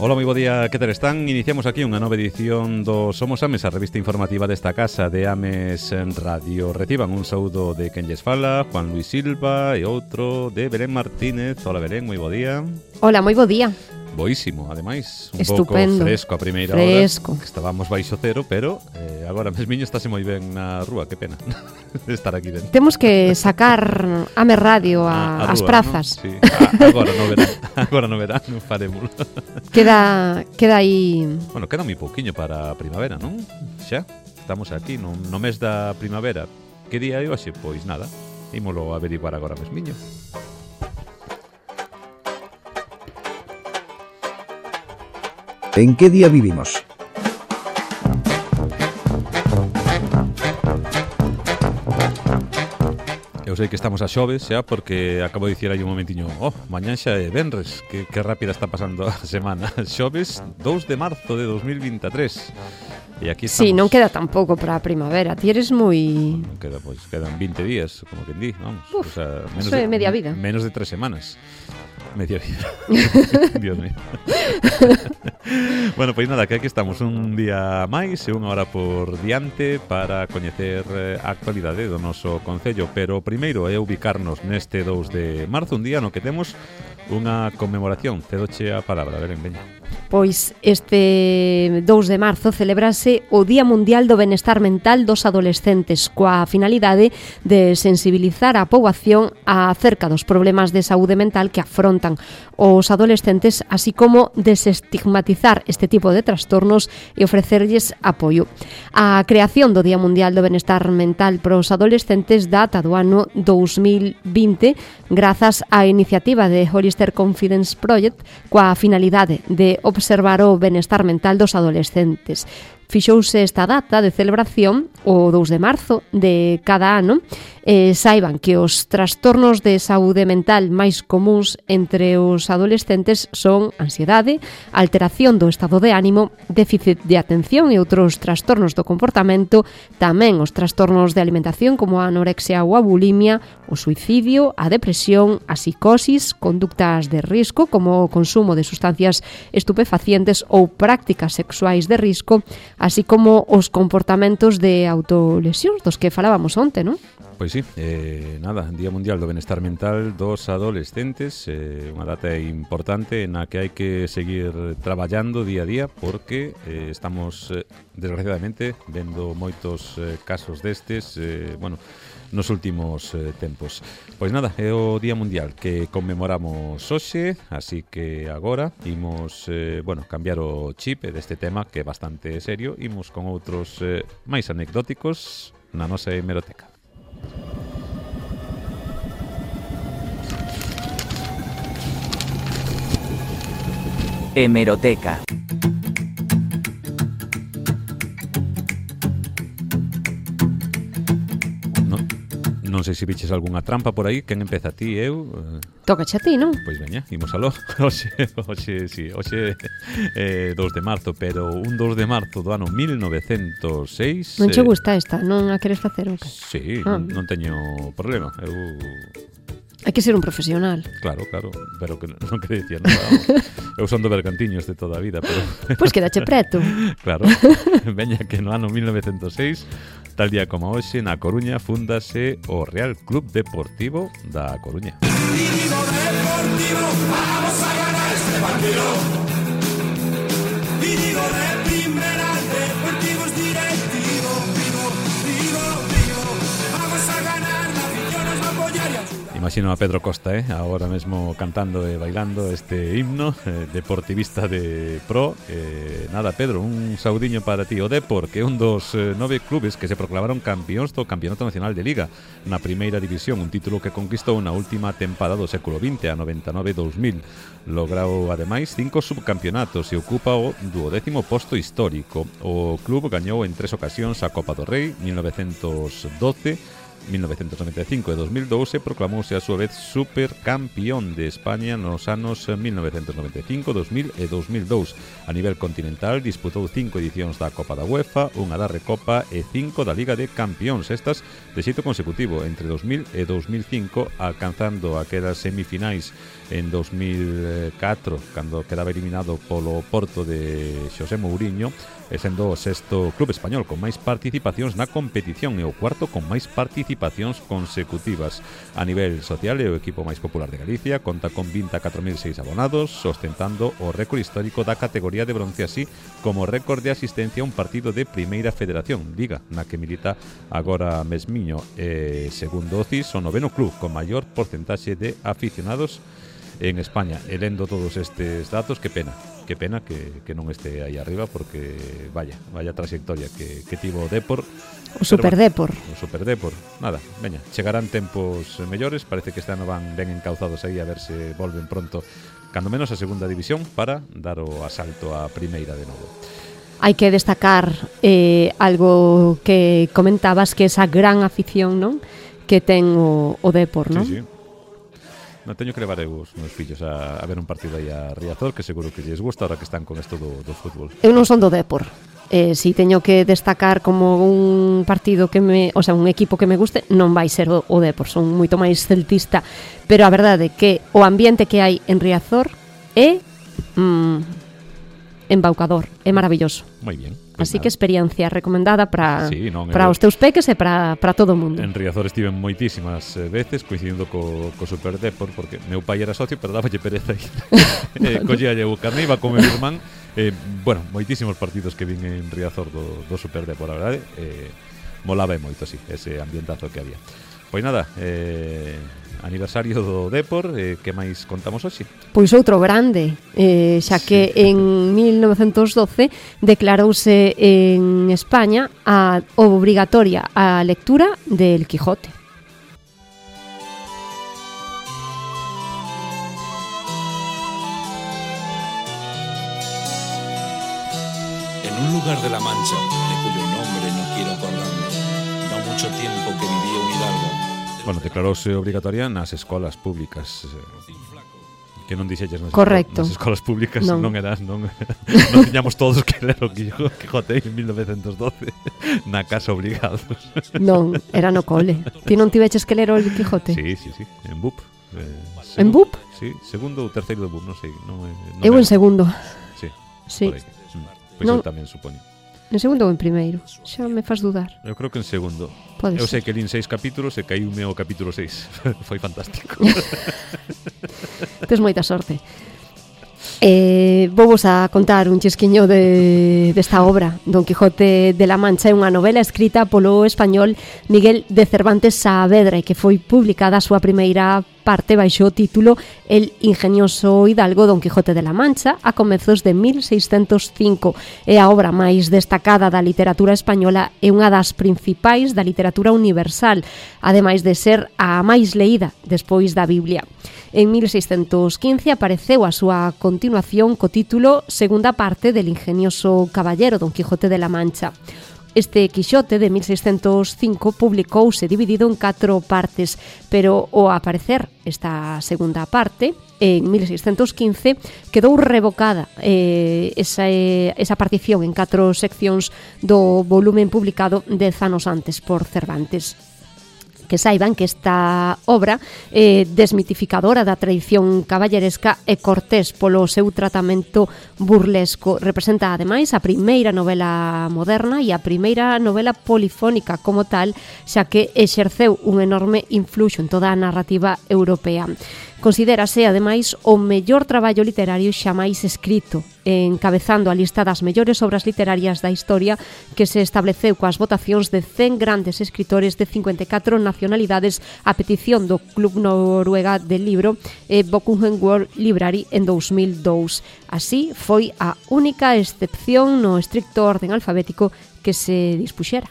Ola, moi bo día, que tal están? Iniciamos aquí unha nova edición do Somos Ames, a revista informativa desta casa de Ames en Radio. Reciban un saúdo de quen lles fala, Juan Luis Silva, e outro de Belén Martínez. Ola, Belén, moi bo día. Ola, moi bo día. Boísimo, ademais, un Estupendo. pouco fresco a primeira hora, que estábamos baixo cero, pero agora mesmiño estáse moi ben na rúa, que pena de estar aquí dentro. Temos que sacar Ames Radio ás rúa, prazas, ¿no? Sí. Agora no verán, faremos. Queda aí... Bueno, queda moi pouquiño para a primavera, non? Xa, estamos aquí no mes da primavera. Que día é hoxe? Pois nada, ímolo averiguar agora mesmiño. ¿En qué día vivimos? Eu sei que estamos a xoves xa, porque acabo de dicir aí un momentiño, mañán xa é venres, que rápida está pasando a semana. Xoves 2 de marzo de 2023. E aquí estamos. Sí, non queda tampouco para a primavera. Ti eres moi... Non queda, pois, quedan 20 días, como que di, vamos. Uf, o sea, media vida. Menos de 3 semanas. Media vida. Dios mío. Bueno, pois nada, que aquí estamos un día máis e unha hora por diante para coñecer a actualidade do noso concello, pero primeiro é ubicarnos neste 2 de marzo, un día no que temos unha conmemoración. Cedoche a palabra, Belén, veña. Pois este 2 de marzo celebrase o Día Mundial do Benestar Mental dos Adolescentes, coa finalidade de sensibilizar a poboación acerca dos problemas de saúde mental que afrontan os adolescentes, así como desestigmatizar este tipo de trastornos e ofrecerlles apoio. A creación do Día Mundial do Benestar Mental para os adolescentes data do ano 2020 grazas á iniciativa de Hollister Confidence Project coa finalidade de observar o benestar mental dos adolescentes. Fixouse esta data de celebración o 2 de marzo de cada ano. Saiban que os trastornos de saúde mental máis comuns entre os adolescentes son ansiedade, alteración do estado de ánimo, déficit de atención e outros trastornos do comportamento, tamén os trastornos de alimentación como a anorexia ou a bulimia, o suicidio, a depresión, a psicosis, conductas de risco como o consumo de sustancias estupefacientes ou prácticas sexuais de risco, así como os comportamentos de autolesións dos que falábamos onte, non? Pois sí, nada, Día Mundial do Benestar Mental dos Adolescentes, unha data importante na que hai que seguir traballando día a día porque estamos, desgraciadamente, vendo moitos casos destes, nos últimos tempos. Pois nada, é o Día Mundial que conmemoramos hoxe, así que agora imos, cambiar o chip deste tema que é bastante serio, imos con outros máis anecdóticos na nosa hemeroteca. Hemeroteca. Non sei se viches algunha trampa por aí. Quen empeza, ti, eu? Tócache a ti, non? Pois veña, imos aló. Hoxe 2 de marzo, pero un 2 de marzo do ano 1906. Non che gusta esta? Non a queres facer o que? Sí, non teño problema. Hai que ser un profesional. Claro, pero que non quere dicir nada. Eu son do Bergantiños de toda a vida, pero... Pois quedache preto. Claro, veña que no ano 1906, tal día como hoxe, na Coruña, fundase o Real Club Deportivo da Coruña. Digo deportivo, vamos a ganar este partido. Y digo de primera, deportivos directivo. Digo, vamos a ganar, la afición nos va a apoyar y ayudar. Imagino a Pedro Costa, agora mesmo cantando e bailando este himno deportivista de pro. Nada, Pedro, un saudiño para ti. O Depor, que é un dos 9 clubes que se proclamaron campións do Campeonato Nacional de Liga na primeira división, un título que conquistou na última tempada do século XX, a 99-2000. Logrou, ademais, 5 subcampeonatos e ocupa o 12º posto histórico. O club gañou en 3 ocasións a Copa do Rei, 1912, 1995 e 2002 e proclamouse a súa vez supercampión de España nos anos 1995, 2000 e 2002. A nivel continental disputou 5 edicións da Copa da UEFA, unha da Recopa e 5 da Liga de Campións, estas de xeito consecutivo entre 2000 e 2005, alcanzando aquelas semifinais en 2004, cando quedaba eliminado polo Porto de Xosé Mourinho, e sendo o sexto club español con máis participacións na competición e o cuarto con máis participacións consecutivas. A nivel social é o equipo máis popular de Galicia, conta con 24.006 abonados, ostentando o récord histórico da categoría de bronce, así como récord de asistencia a un partido de Primeira Federación, liga na que milita agora mesmiño. Segundo o CIS, o noveno club con maior porcentaxe de aficionados en España. E lendo todos estes datos, que pena que non este aí arriba, porque vaya trayectoria que tivo o Dépor. O Superdépor. O Superdépor. Nada, veña, chegarán tempos mellores, parece que este ano van ben encauzados aí, a ver se volven pronto, cando menos a segunda división, para dar o asalto á primeira de novo. Hai que destacar algo que comentabas, que esa gran afición, non, que ten o Dépor, non? Sí, sí. Non teño que levar os meus fillos a ver un partido aí a Riazor, que seguro que lles gusta ahora que están con esto do fútbol. Eu non son do Dépor. Si teño que destacar como un partido un equipo que me guste, non vai ser o Dépor, son moito máis celtista, pero a verdade é que o ambiente que hai en Riazor é embaucador, é maravilloso. Moi bien. Así que experiencia recomendada para para os teus peques e para todo o mundo. En Riazor estive moitísimas veces coincidindo co Superdépor, porque meu pai era socio, pero dáballe pereza ir. Collíalle o carné, iba con meu irmán. Bueno, moitísimos partidos que vin en Riazor do Superdépor, a verdade. Molaba moito, así, ese ambientazo que había. Pois nada, aniversario do Dépor, que máis contamos hoxe? Pois outro grande, xa que en 1912 declarouse en España a obrigatoria a lectura del Quijote. En un lugar de la Mancha, de cuyo nombre no quiero acordarme, no mucho tiempo que vivía un hidalgo. Bueno, declarouse obrigatoria nas escolas públicas, que non dixelles nas escolas públicas, non tiñamos todos que ler o Quijote en 1912 na casa obligados. Non, era no cole. Ti non tiveches que ler o Quijote? Sí, en BUP. En BUP? Sí, segundo ou terceiro de BUP, non sei. Eu en segundo. Sí. Pois eu tamén supoño. En segundo ou en primeiro? Xa me faz dudar. Eu creo que en segundo. Eu sei que lín 6 capítulos e caíume o capítulo 6. Foi fantástico. Tes moita sorte. Vou-vos a contar un chisquiño desta obra. Don Quijote de la Mancha é unha novela escrita polo español Miguel de Cervantes Saavedra e que foi publicada a súa primeira parte baixo o título El ingenioso hidalgo Don Quijote de la Mancha a comezos de 1605. É a obra máis destacada da literatura española e unha das principais da literatura universal, ademais de ser a máis leída despois da Biblia. En 1615 apareceu a súa continuación co título Segunda parte del ingenioso caballero Don Quijote de la Mancha. Este Quixote de 1605 publicouse dividido en 4 partes, pero ao aparecer esta segunda parte, en 1615, quedou revocada esa partición en 4 seccións do volumen publicado 10 anos antes por Cervantes. Que saiban que esta obra desmitificadora da tradición caballeresca e cortés polo seu tratamento burlesco. Representa, ademais, a primeira novela moderna e a primeira novela polifónica como tal, xa que exerceu un enorme influxo en toda a narrativa europea. Considérase, ademais, o mellor traballo literario xamais escrito, encabezando a lista das mellores obras literarias da historia que se estableceu coas votacións de 100 grandes escritores de 54 nacionalidades a petición do Club Noruega del Libro e Bookhunt World Library en 2002. Así, foi a única excepción no estricto orden alfabético que se dispuxera.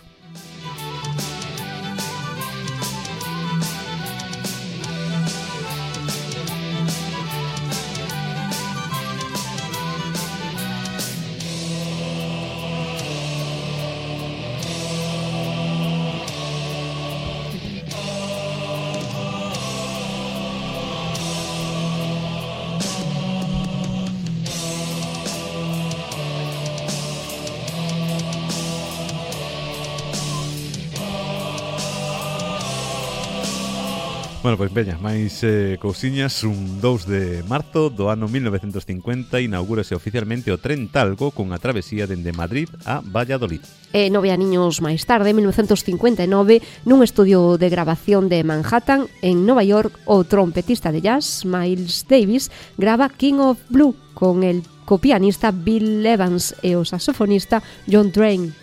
Bueno, pois veña, máis cousiñas. Un 2 de marzo do ano 1950 inaugúrase oficialmente o tren Talgo cunha travesía dende Madrid a Valladolid. 9 aniños máis tarde, en 1959, nun estudio de grabación de Manhattan, en Nova York, o trompetista de jazz Miles Davis grava King of Blue con el copianista Bill Evans e o saxofonista John Drain.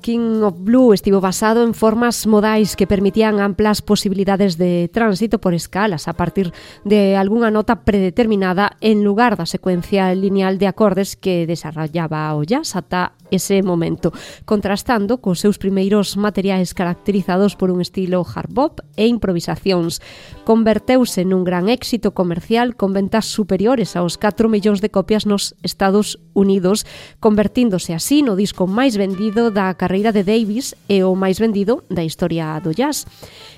King of Blue estivo basado en formas modais que permitían amplas posibilidades de tránsito por escalas a partir de algunha nota predeterminada en lugar da secuencia lineal de acordes que desarrollaba o jazz ata ese momento, contrastando cos seus primeiros materiais caracterizados por un estilo hard bop e improvisacións. Converteuse nun gran éxito comercial con ventas superiores aos 4 millóns de copias nos Estados Unidos, convertíndose así no disco máis vendido da carreira de Davis e o máis vendido da historia do jazz.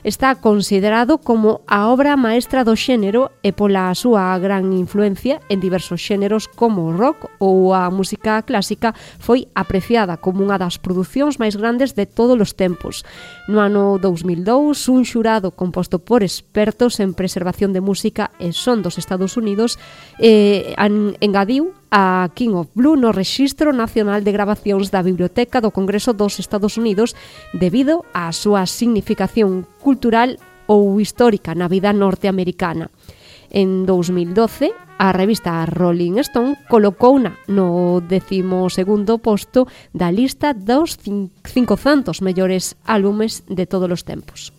Está considerado como a obra maestra do xénero e pola súa gran influencia en diversos xéneros como o rock ou a música clásica foi apreciada como unha das producións máis grandes de todos os tempos. No ano 2002, un xurado composto por expertos en preservación de música e son dos Estados Unidos engadiu a King of Blue no Rexistro Nacional de Grabacións da Biblioteca do Congreso dos Estados Unidos debido á súa significación cultural ou histórica na vida norteamericana. En 2012, a revista Rolling Stone colocouna no 12º posto da lista dos 500 mellores álbumes de todos os tempos.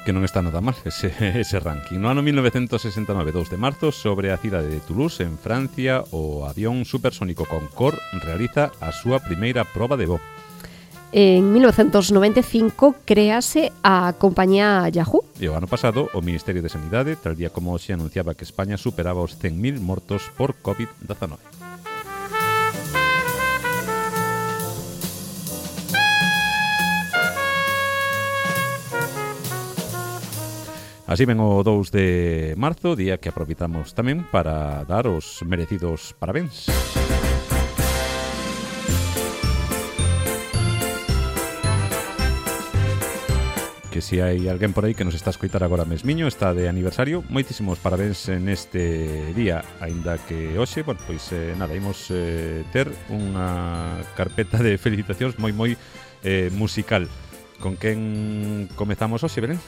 Que non está nada mal ese ranking. No ano 1969, 2 de marzo, sobre a cidade de Toulouse, en Francia, o avión supersónico Concorde realiza a súa primeira proba de voo. En 1995 créase a compañía Yahoo. E o ano pasado, o Ministerio de Sanidade, tal día como hoxe, anunciaba que España superaba os 100.000 mortos por COVID-19. Así ven o 2 de marzo, día que aproveitamos tamén para dar os merecidos parabéns. Que se hai alguén por aí que nos está a escoitar agora mesmiño, está de aniversario, moitísimos parabéns neste día, aínda que hoxe, bueno, pois nada, imos ter unha carpeta de felicitacións moi musical. Con quen comezamos hoxe, Belén?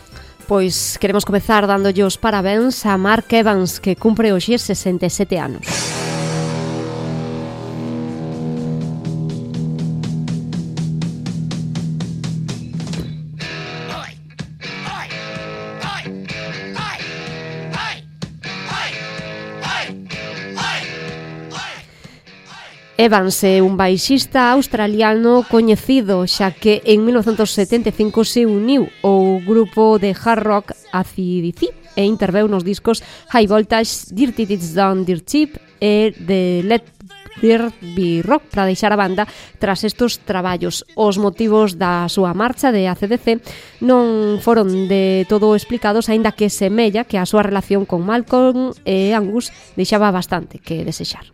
Pois queremos comezar dándolle os parabéns a Mark Evans, que cumpre hoxe 67 anos. Evans é un baixista australiano coñecido, xa que en 1975 se uniu ao grupo de hard rock AC/DC e interveu nos discos High Voltage, Dirty Deeds Done Dirt Cheap e The Let There Be Rock para deixar a banda tras estos traballos. Os motivos da súa marcha de AC/DC non foron de todo explicados, aínda que semella que a súa relación con Malcolm e Angus deixaba bastante que desexar.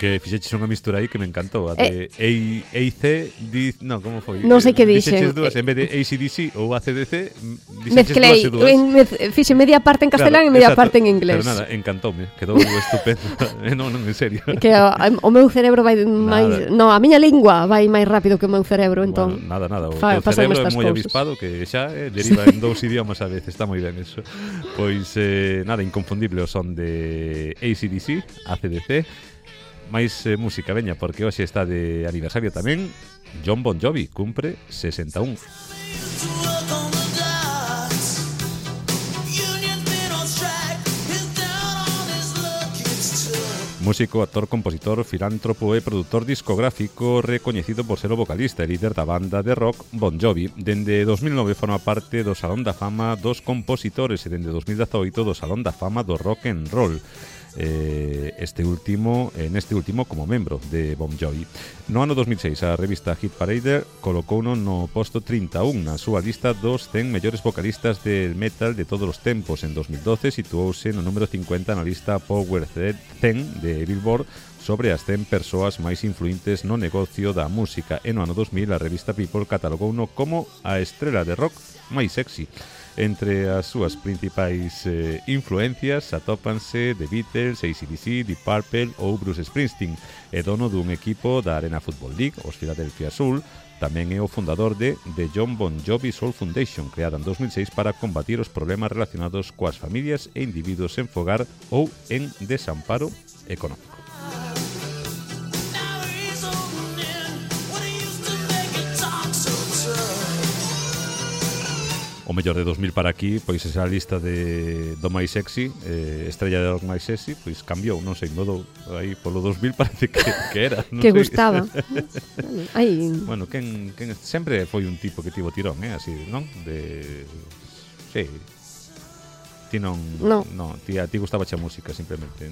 Que fixeches unha mistura aí que me encantou, a de no, como foi? Non sei que dixen. Fixeches dúas, en vez de AC/DC ou ACDC, mezclei, fixe media parte en castelán, claro, e media parte en inglés. Pero nada, encantoume, quedou estupendo. non, en serio. Que o meu cerebro vai máis, no, a miña lingua vai máis rápido que o meu cerebro, entón. Bueno, nada, o teu cerebro é moi avispado, que xa deriva en 2 idiomas a veces, está moi ben eso. Pois nada, inconfundible o son de AC/DC, ACDC. máis música, veña, porque hoxe está de aniversario tamén Jon Bon Jovi, cumpre 61. Músico, actor, compositor, filántropo e produtor discográfico recoñecido por ser o vocalista e líder da banda de rock Bon Jovi. Dende 2009 forma parte do Salón da Fama dos Compositores e dende 2018 do Salón da Fama do Rock and Roll. Neste último como membro de Bon Jovi. No ano 2006 a revista Hit Parade colocouno no posto 31 na súa lista dos 100 mellores vocalistas del metal de todos os tempos. En 2012 situouse no número 50 na lista Power 10 de Billboard sobre as 100 persoas máis influentes no negocio da música, e no ano 2000 a revista People catalogouno como a estrela de rock máis sexy. Entre as súas principais influencias atópanse The Beatles, AC/DC, Deep Purple ou Bruce Springsteen. É dono dun equipo da Arena Football League, os Philadelphia Soul. Tamén é o fundador de The John Bon Jovi Soul Foundation, creada en 2006 para combatir os problemas relacionados coas familias e individuos en fogar ou en desamparo económico. O mellor de 2000 para aquí, pois esa lista do máis sexy, estrella de rock máis sexy, pois cambiou, non sei, modo aí polo 2000 parece que era, non que sei. gustaba. Ai, Bueno, quen sempre foi un tipo que tivo tirón, así, non? Sí. Ti non, ti gustaba a música simplemente.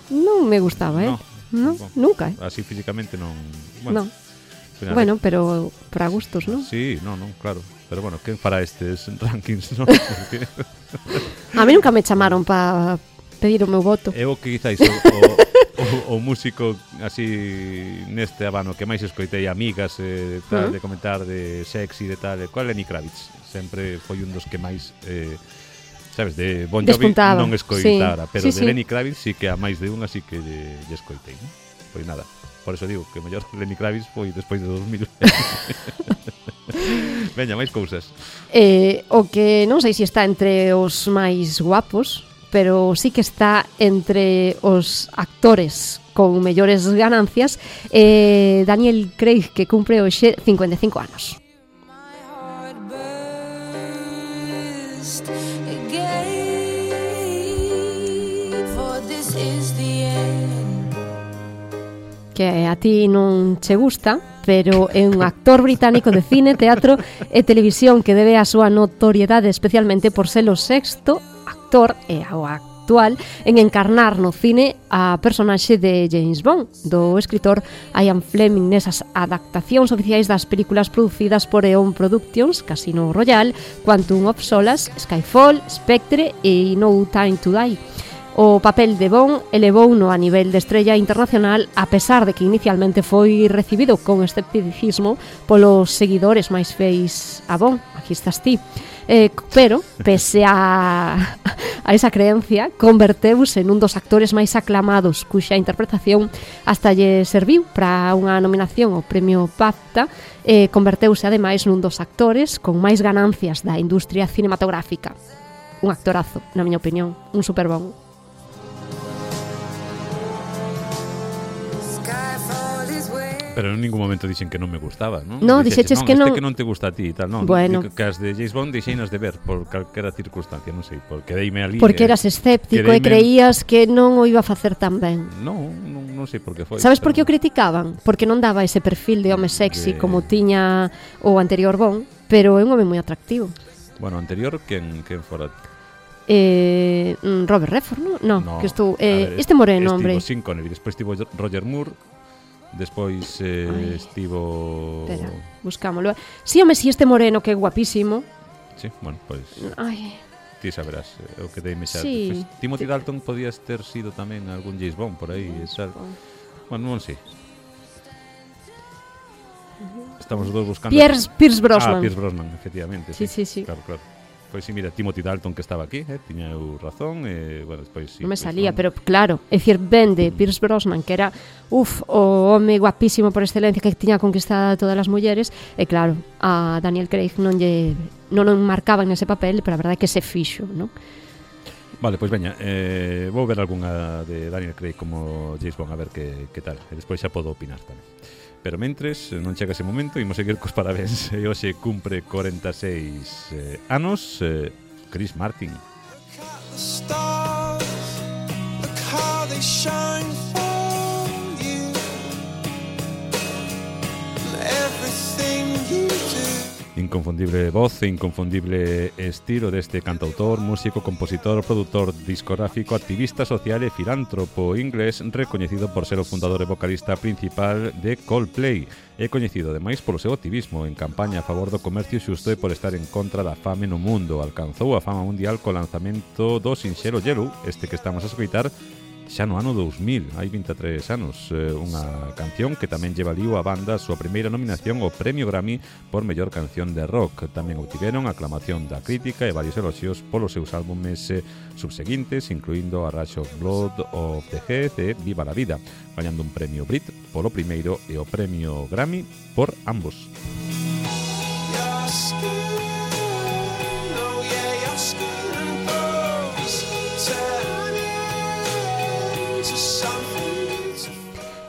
non me gustaba, No, nunca. Así físicamente non. No. Bueno, pero para gustos, non? Sí, non, claro. Pero bueno, quen fará estes rankings, non? A mí nunca me chamaron para pedir o meu voto. Eu que quizáis o músico así neste abano que máis escoitei, amigas tal, de comentar de sexy, de tal, cual Lenny Kravitz. Sempre foi un dos que máis sabes, de Bon Jovi non escoitara, pero de Lenny Kravitz sí que a máis de unha sí que lle escoitei, non? Pois nada, por eso digo que o mellor Lenny Kravitz foi despois de 2000. Veña, máis cousas. O que non sei se está entre os máis guapos, pero sí que está entre os actores con mellores ganancias, Daniel Craig, que cumpre hoxe 55 anos. Que a ti non che gusta, pero é un actor británico de cine, teatro e televisión que debe a súa notoriedade especialmente por ser o sexto actor e o actual en encarnar no cine a personaxe de James Bond, do escritor Ian Fleming, nesas adaptacións oficiais das películas producidas por Eon Productions, Casino Royale, Quantum of Solace, Skyfall, Spectre e No Time to Die. O papel de Bond elevouno a nivel de estrella internacional, a pesar de que inicialmente foi recibido con escepticismo polos seguidores máis feis a Bond. Aquí estás ti. Pero, pese a esa creencia, converteuse nun dos actores máis aclamados, cuxa interpretación hasta lle serviu para unha nominación ao premio BAFTA. Converteuse ademais nun dos actores con máis ganancias da industria cinematográfica. Un actorazo, na miña opinión, un super bon. Pero en ningún momento dixen que non me gustaba, non? No, dixeches que non. Que non te gusta a ti e tal, non? Bueno. Que as de James Bond deixeinas de ver por calquera circunstancia, non sei, porque deime ali... Porque eras escéptico e creías que non o iba a facer tan ben. Non sei por que foi. Sabes por que o criticaban? Porque non daba ese perfil de home sexy como tiña o anterior Bond, pero é un home moi atractivo. Bueno, anterior, quen fora? Robert Redford, non? No, que estou... este moreno, hombre. Estivo Sean Connery, despois estivo Roger Moore... Despois estivo... Espera, buscámoslo. Sí, home, si este moreno que é guapísimo. Sí, bueno, pois... Ai. Ti saberás o que deime xa. Sí. Pues, Timothy Dalton podías ter sido tamén algún James Bond por aí. Bueno, non sei. Estamos os dos buscando... Pierce Brosnan. Pierce Brosnan, efectivamente. Sí. Claro. Pois sí, mira, Timothy Dalton que estaba aquí, tiña eu razón, bueno, despois sí. Non me salía, pero claro, é dicir, ben de Pierce Brosnan, que era, o home guapísimo por excelencia que tiña conquistada a todas as mulleres, e claro, a Daniel Craig non marcaba nese papel, pero a verdade é que se fixo, non? Vale, pois veña, vou ver algunha de Daniel Craig como James Bond, a ver que tal, e despois xa podo opinar tamén. Pero mentres, non chega ese momento, imos seguir cos parabéns. E hoxe cumpre 46 anos Chris Martin. Look how they shine. Inconfundible voz e inconfundible estilo deste cantautor, músico, compositor, produtor discográfico, activista social e filántropo inglés recoñecido por ser o fundador e vocalista principal de Coldplay. É coñecido ademais polo seu activismo en campaña a favor do comercio xusto e por estar en contra da fame no mundo. Alcanzou a fama mundial co lanzamento do sinxelo Yellow, este que estamos a escoitar, xa no ano 2000, hai 23 anos, unha canción que tamén lle valiu a banda a súa primeira nominación ao Premio Grammy por mellor canción de rock. Tamén obtiveron a aclamación da crítica e varios eloxios polos seus álbumes subseguintes, incluindo A Rush of Blood of the Head e Viva la Vida, gañando un premio Brit polo primeiro e o Premio Grammy por ambos.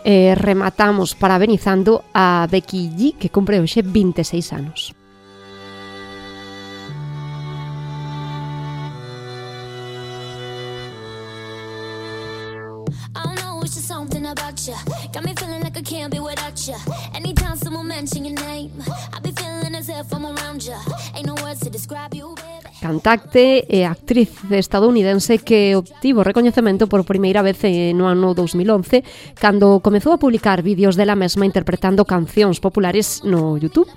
Rematamos parabenizando a Becky G, que cumpre hoxe 26 anos. Cantante e actriz estadounidense que obtivo recoñecemento por primeira vez no ano 2011 cando comezou a publicar vídeos dela mesma interpretando cancións populares no YouTube.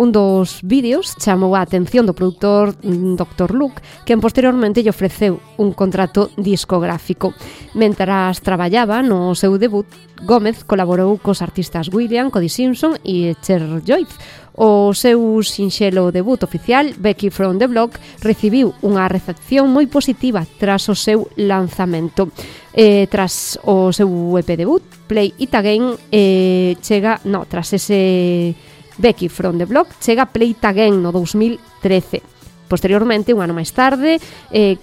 Un dos vídeos chamou a atención do produtor Dr. Luke, que posteriormente lle ofreceu un contrato discográfico. Mentras traballaba no seu debut, Gómez colaborou cos artistas William, Cody Simpson e Cher Joyce. O seu sinxelo debut oficial, Becky from the Block, recibiu unha recepción moi positiva tras o seu lanzamento. Tras o seu EP debut, Play It Again, tras ese Becky from the Block, chega Play It Again no 2013. Posteriormente, un ano máis tarde,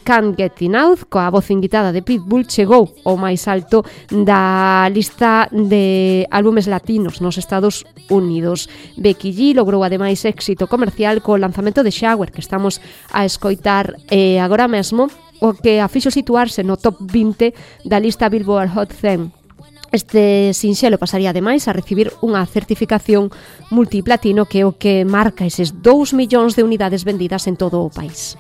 Can't Get Enough, coa voz invitada de Pitbull, chegou ao máis alto da lista de álbumes latinos nos Estados Unidos. Becky G logrou ademais éxito comercial co lanzamento de Shower, que estamos a escoitar agora mesmo, o que a fixo situarse no top 20 da lista Billboard Hot 100. Este sinxelo pasaría ademais a recibir unha certificación multiplatino, que é o que marca eses 2 millóns de unidades vendidas en todo o país.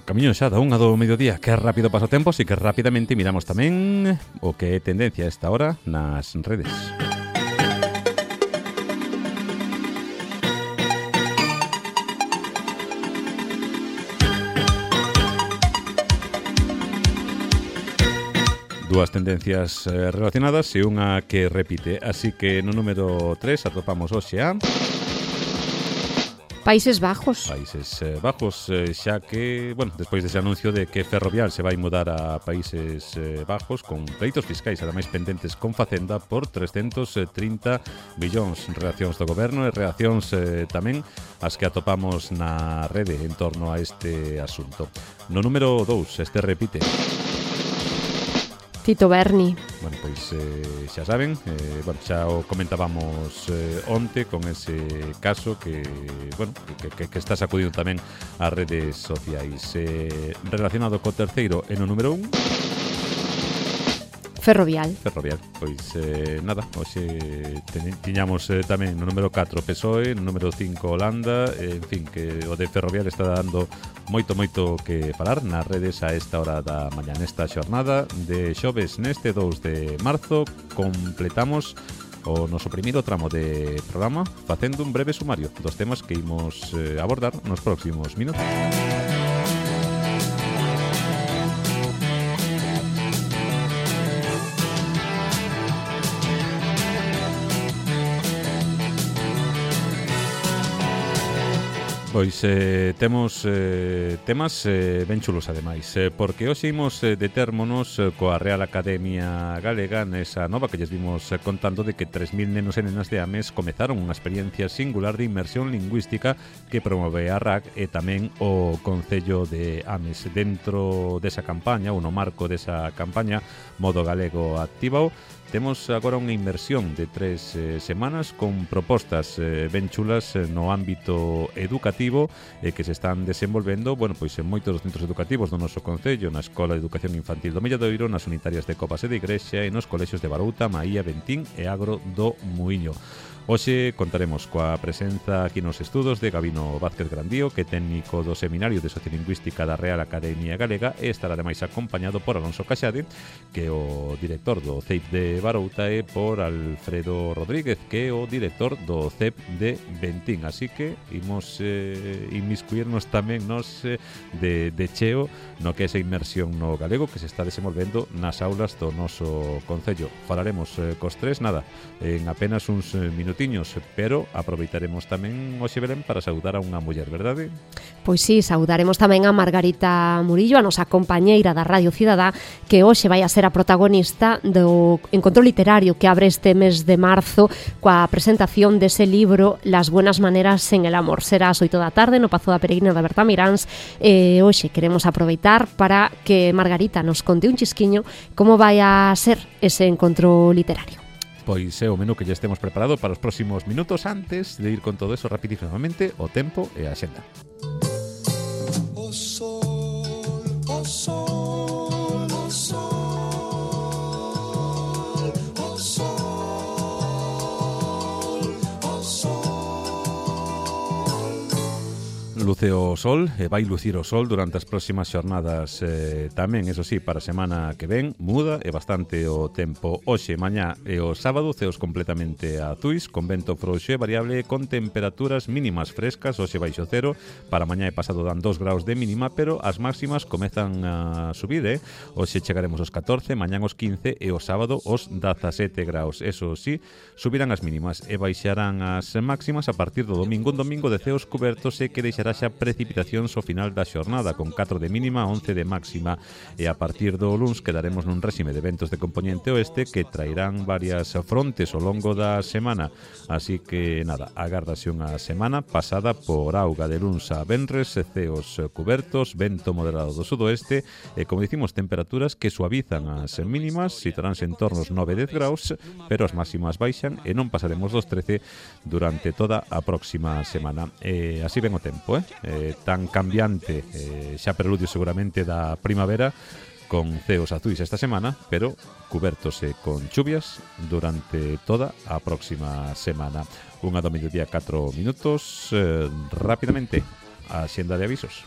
Camiño xa da 1 do mediodía, que rápido pasa o tempo, así que rapidamente miramos tamén o que é tendencia a esta hora nas redes. Dúas tendencias relacionadas e unha que repite. Así que no número 3 atopamos hoxe a Países Bajos. Países Bajos, xa que, bueno, despois dese anuncio de que Ferrovial se vai mudar a Países Bajos con pleitos fiscais, ademais pendentes con Facenda por 330 billóns, reaccións do goberno e reaccións tamén as que atopamos na rede en torno a este asunto. No número 2, este repite. Tito Berni. Bueno, pois xa saben, xa o comentábamos onte con ese caso que, bueno, que está sacudindo tamén as redes sociais. Relacionado co terceiro e no número 1, Ferrovial. Pois nada, hoxe tiñamos tamén no número 4 PSOE, no número 5 Holanda, en fin, que o de Ferrovial está dando moito que falar nas redes a esta hora da mañá. Nesta xornada de xoves, neste 2 de marzo, completamos o noso primeiro tramo de programa facendo un breve sumario dos temas que imos abordar nos próximos minutos. Pois temos temas ben chulos ademais, porque hoxe imos detérmonos coa Real Academia Galega nesa nova que lles vimos contando de que 3.000 nenos e nenas de Ames comezaron unha experiencia singular de inmersión lingüística que promove a RAC e tamén o Concello de Ames. Dentro desa campaña, ou no marco desa campaña Modo Galego Activao, temos agora unha inmersión de 3 semanas con propostas ben chulas no ámbito educativo lectivo que se están desenvolvendo, bueno, pois en moitos dos centros educativos do noso concello, na Escola de Educación Infantil do Milladoiro, nas unitarias de Covas e de Igrexa e nos colexios de Barouta, Maía, Bentín e Agro do Muiño. Hoxe contaremos coa presenza aquí nos estudos de Gabino Vázquez Grandío, que é técnico do Seminario de Sociolingüística da Real Academia Galega, e estará ademais acompañado por Alonso Caxade, que é o director do CEIP de Barouta, e por Alfredo Rodríguez, que é o director do CEP de Bentín. Así que imos inmiscuirnos tamén nos de cheo no que é esa inmersión no galego que se está desenvolvendo nas aulas do noso concello. Falaremos cos tres, nada, en apenas uns minutiños, pero aproveitaremos tamén hoxe, Belén, para saudar a unha muller, verdade? Pois sí, saudaremos tamén a Margarita Murillo, a nosa compañeira da Radio Cidadá, que hoxe vai a ser a protagonista do encontro literario que abre este mes de marzo coa presentación dese libro Las buenas maneras en el amor. Será ás 8 da tarde no Pazo da Peregrina de Bertamiráns, e hoxe queremos aproveitar para que Margarita nos conte un chisquiño como vai a ser ese encontro literario. Pois é o menú que ya estemos preparado para os próximos minutos. Antes de ir con todo eso rapidísimamente, o tempo e a xenda. O sol, o sol, o sol, o sol, o sol. Luce o sol e vai lucir o sol durante as próximas xornadas tamén, eso sí, para a semana que ven muda e bastante o tempo. Hoxe, mañá e o sábado ceos completamente azuis, con vento frouxo e variable, con temperaturas mínimas frescas, hoxe baixo cero, para mañá e pasado dan 2 graus de mínima, pero as máximas comezan a subir, hoxe chegaremos aos 14, mañán aos 15 e o sábado aos 17 graus. Eso sí, subirán as mínimas e baixarán as máximas a partir do domingo, un domingo de ceos cubertos e que deixará xa precipitacións ao final da xornada, con 4 de mínima, 11 de máxima, e a partir do luns quedaremos nun réxime de ventos de componente oeste que trairán varias frontes ao longo da semana, así que nada, agardase unha semana pasada por auga de luns a venres, ceos cubertos, vento moderado do sudoeste e, como dicimos, temperaturas que suavizan as mínimas, situaránse en torno aos 9-10 graus, pero as máximas baixan e non pasaremos dos 13 durante toda a próxima semana. Así ven o tempo, tan cambiante, xa preludio seguramente da primavera, con ceos azuis esta semana, pero cubertos con chuvias durante toda a próxima semana. Unha do mediodía 4 minutos, rápidamente a xenda de avisos.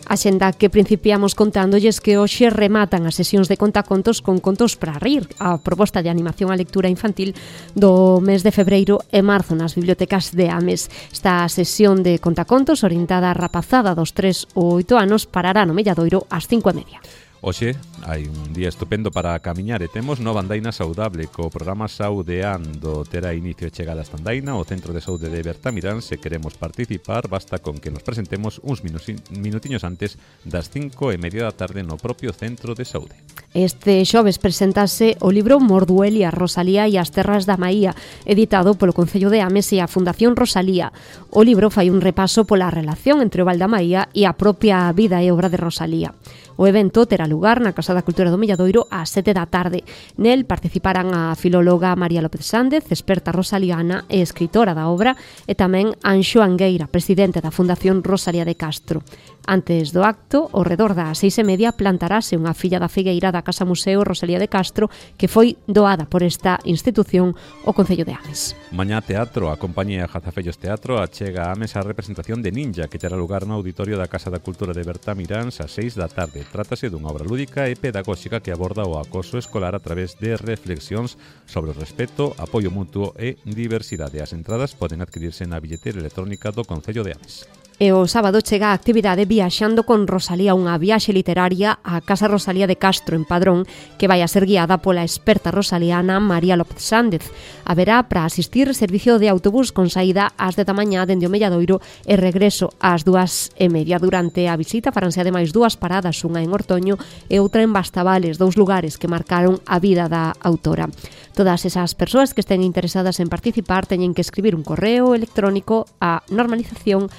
A xenda que principiamos contándolles que hoxe rematan as sesións de contacontos con Contos para rir, a proposta de animación á lectura infantil do mes de febreiro e marzo nas bibliotecas de Ames. Esta sesión de contacontos orientada á rapazada dos 3 ou 8 anos parará no Milladoiro ás 5:30. Hoxe hai un día estupendo para camiñar e temos nova andaina saudable co programa Saudeando. Terá inicio e chegada esta andaina ao Centro de Saúde de Bertamirán. Se queremos participar, basta con que nos presentemos uns minutiños antes das 5:30 da tarde no propio Centro de Saúde. Este xoves presentase o libro Morduelia, Rosalía e as terras da Maía, editado polo Concello de Ames e a Fundación Rosalía. O libro fai un repaso pola relación entre o Val da Maía e a propia vida e obra de Rosalía. O evento terá lugar na Casa da Cultura do Milladoiro ás 7 da tarde. Nel participarán a filóloga María López Sández, experta rosaliana e escritora da obra, e tamén Anxo Angueira, presidente da Fundación Rosalía de Castro. Antes do acto, ao redor das 6:30, plantarase unha filla da figueira da Casa Museo Rosalía de Castro que foi doada por esta institución ao Concello de Ames. Mañá teatro, a compañía Jazafellos Teatro achega a Ames a representación de Ninja que terá lugar no auditorio da Casa da Cultura de Bertamiráns ás 6 da tarde. Trátase dunha obra lúdica e pedagóxica que aborda o acoso escolar a través de reflexións sobre o respeto, apoio mutuo e diversidade. As entradas poden adquirirse na billetera electrónica do Concello de Ames. E o sábado chega a actividade Viaxando con Rosalía, unha viaxe literaria á Casa Rosalía de Castro en Padrón, que vai a ser guiada pola experta rosaliana María López Sández. Haberá para asistir servicio de autobús con saída ás 10 da mañá dende o Milladoiro e regreso ás 2:30. Durante a visita faranse ademais 2 paradas, unha en Ortoño e outra en Bastavales, 2 lugares que marcaron a vida da autora. Todas esas persoas que estén interesadas en participar teñen que escribir un correo electrónico a normalización@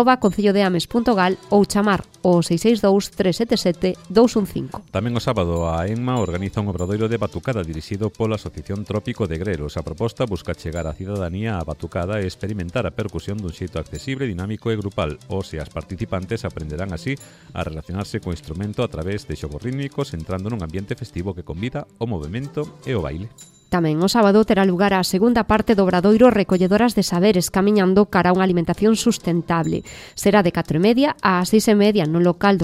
@concellodeames.gal ou chamar o 662 377 215. Tamén o sábado a ENMA organiza un obradoiro de batucada dirixido pola Asociación Trópico de Grelos. A proposta busca chegar a cidadanía á batucada e experimentar a percusión dun xeito accesible, dinámico e grupal. Os e as participantes aprenderán así a relacionarse co instrumento a través de xogos rítmicos, entrando nun ambiente festivo que convida o movemento e o baile. Tamén o sábado terá lugar a segunda parte do obradoiro Recolledoras de Saberes, camiñando cara a unha alimentación sustentable. Será de 4:30 a 6:30 no local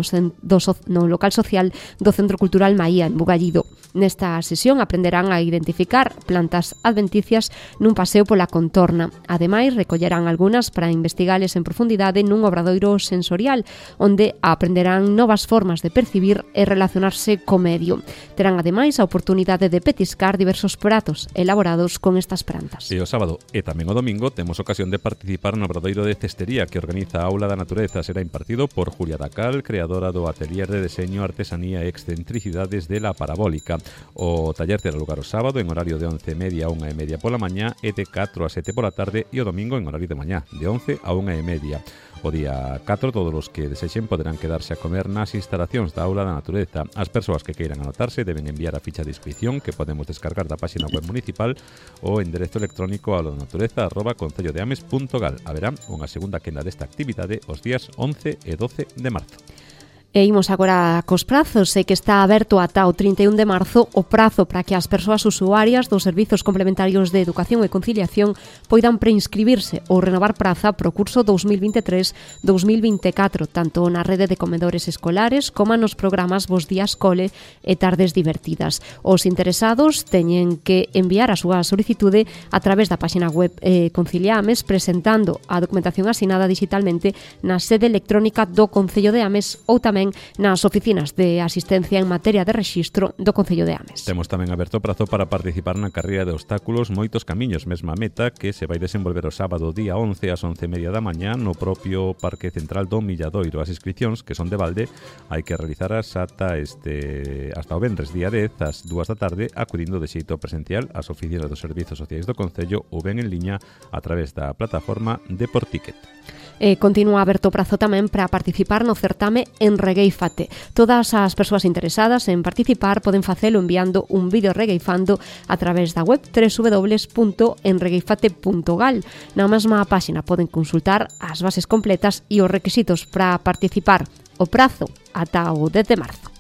social do Centro Cultural Maía, en Bugallido. Nesta sesión aprenderán a identificar plantas adventicias nun paseo pola contorna. Ademais, recollerán algunhas para investigales en profundidade nun obradoiro sensorial, onde aprenderán novas formas de percibir e relacionarse co medio. Terán ademais a oportunidade de petiscar diversos pratos elaborados con estas plantas. E o sábado e tamén o domingo temos ocasión de participar no obradoiro de cestería que organiza a Aula da Natureza. Será impartido por Julia Dacal, creadora do Atelier de Deseño, Artesanía e Excentricidades de la Parabólica. O taller terá lugar o sábado en horario de 11:30 a 1:30 pola mañá e de 4 a 7 pola tarde, e o domingo en horario de mañá, de 11 a 1:30. O día 4, todos os que desexen poderán quedarse a comer nas instalacións da Aula da Natureza. As persoas que queiran anotarse deben enviar a ficha de inscripción que podemos descargar da páxina web municipal ou enderezo electrónico auladaнаtureza@concellodeames.gal. Haberá unha segunda quenda desta actividade os días 11 e 12 de marzo. E imos agora cos prazos, que está aberto ata o 31 de marzo o prazo para que as persoas usuarias dos servizos complementarios de educación e conciliación poidan preinscribirse ou renovar praza pro curso 2023-2024, tanto na rede de comedores escolares como nos programas Bos Días Cole e Tardes Divertidas. Os interesados teñen que enviar a súa solicitude a través da páxina web Conciliames, presentando a documentación asinada digitalmente na sede electrónica do Concello de Ames ou tamén nas oficinas de asistencia en materia de rexistro do Concello de Ames. Temos tamén aberto o prazo para participar na carreira de obstáculos Moitos Camiños, mesma meta que se vai desenvolver o sábado día 11 ás 11:30 da mañá no propio Parque Central do Milladoiro. As inscripcións, que son de balde, hai que realizaras hasta o venres día 10 ás 2 da tarde, acudindo de xeito presencial ás oficinas dos Servizos Sociais do Concello ou ben en liña a través da plataforma Deporticket. Continúa aberto o prazo tamén para participar no certame Enregueifate. Todas as persoas interesadas en participar poden facelo enviando un vídeo regueifando a través da web www.enregueifate.gal. Na mesma páxina poden consultar as bases completas e os requisitos para participar. O prazo ata o 10 de marzo.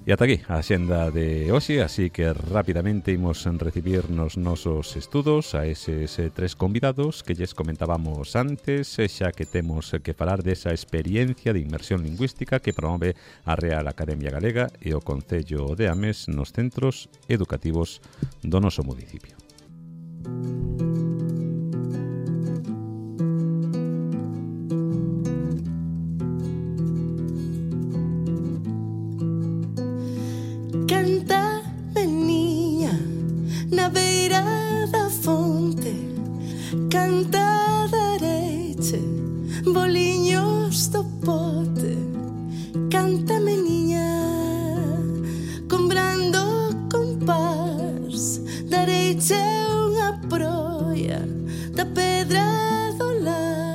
E ata aquí a xenda de hoxe, así que rapidamente imos recibir nos nosos estudos a eses tres convidados que lles comentábamos antes, xa que temos que falar desa experiencia de inmersión lingüística que promove a Real Academia Galega e o Concello de Ames nos centros educativos do noso municipio. Canta, meniña, na beira da fonte. Canta, dareiche, boliños do pote. Canta, meniña, comprando compás. Dareiche unha proia da pedra do lar.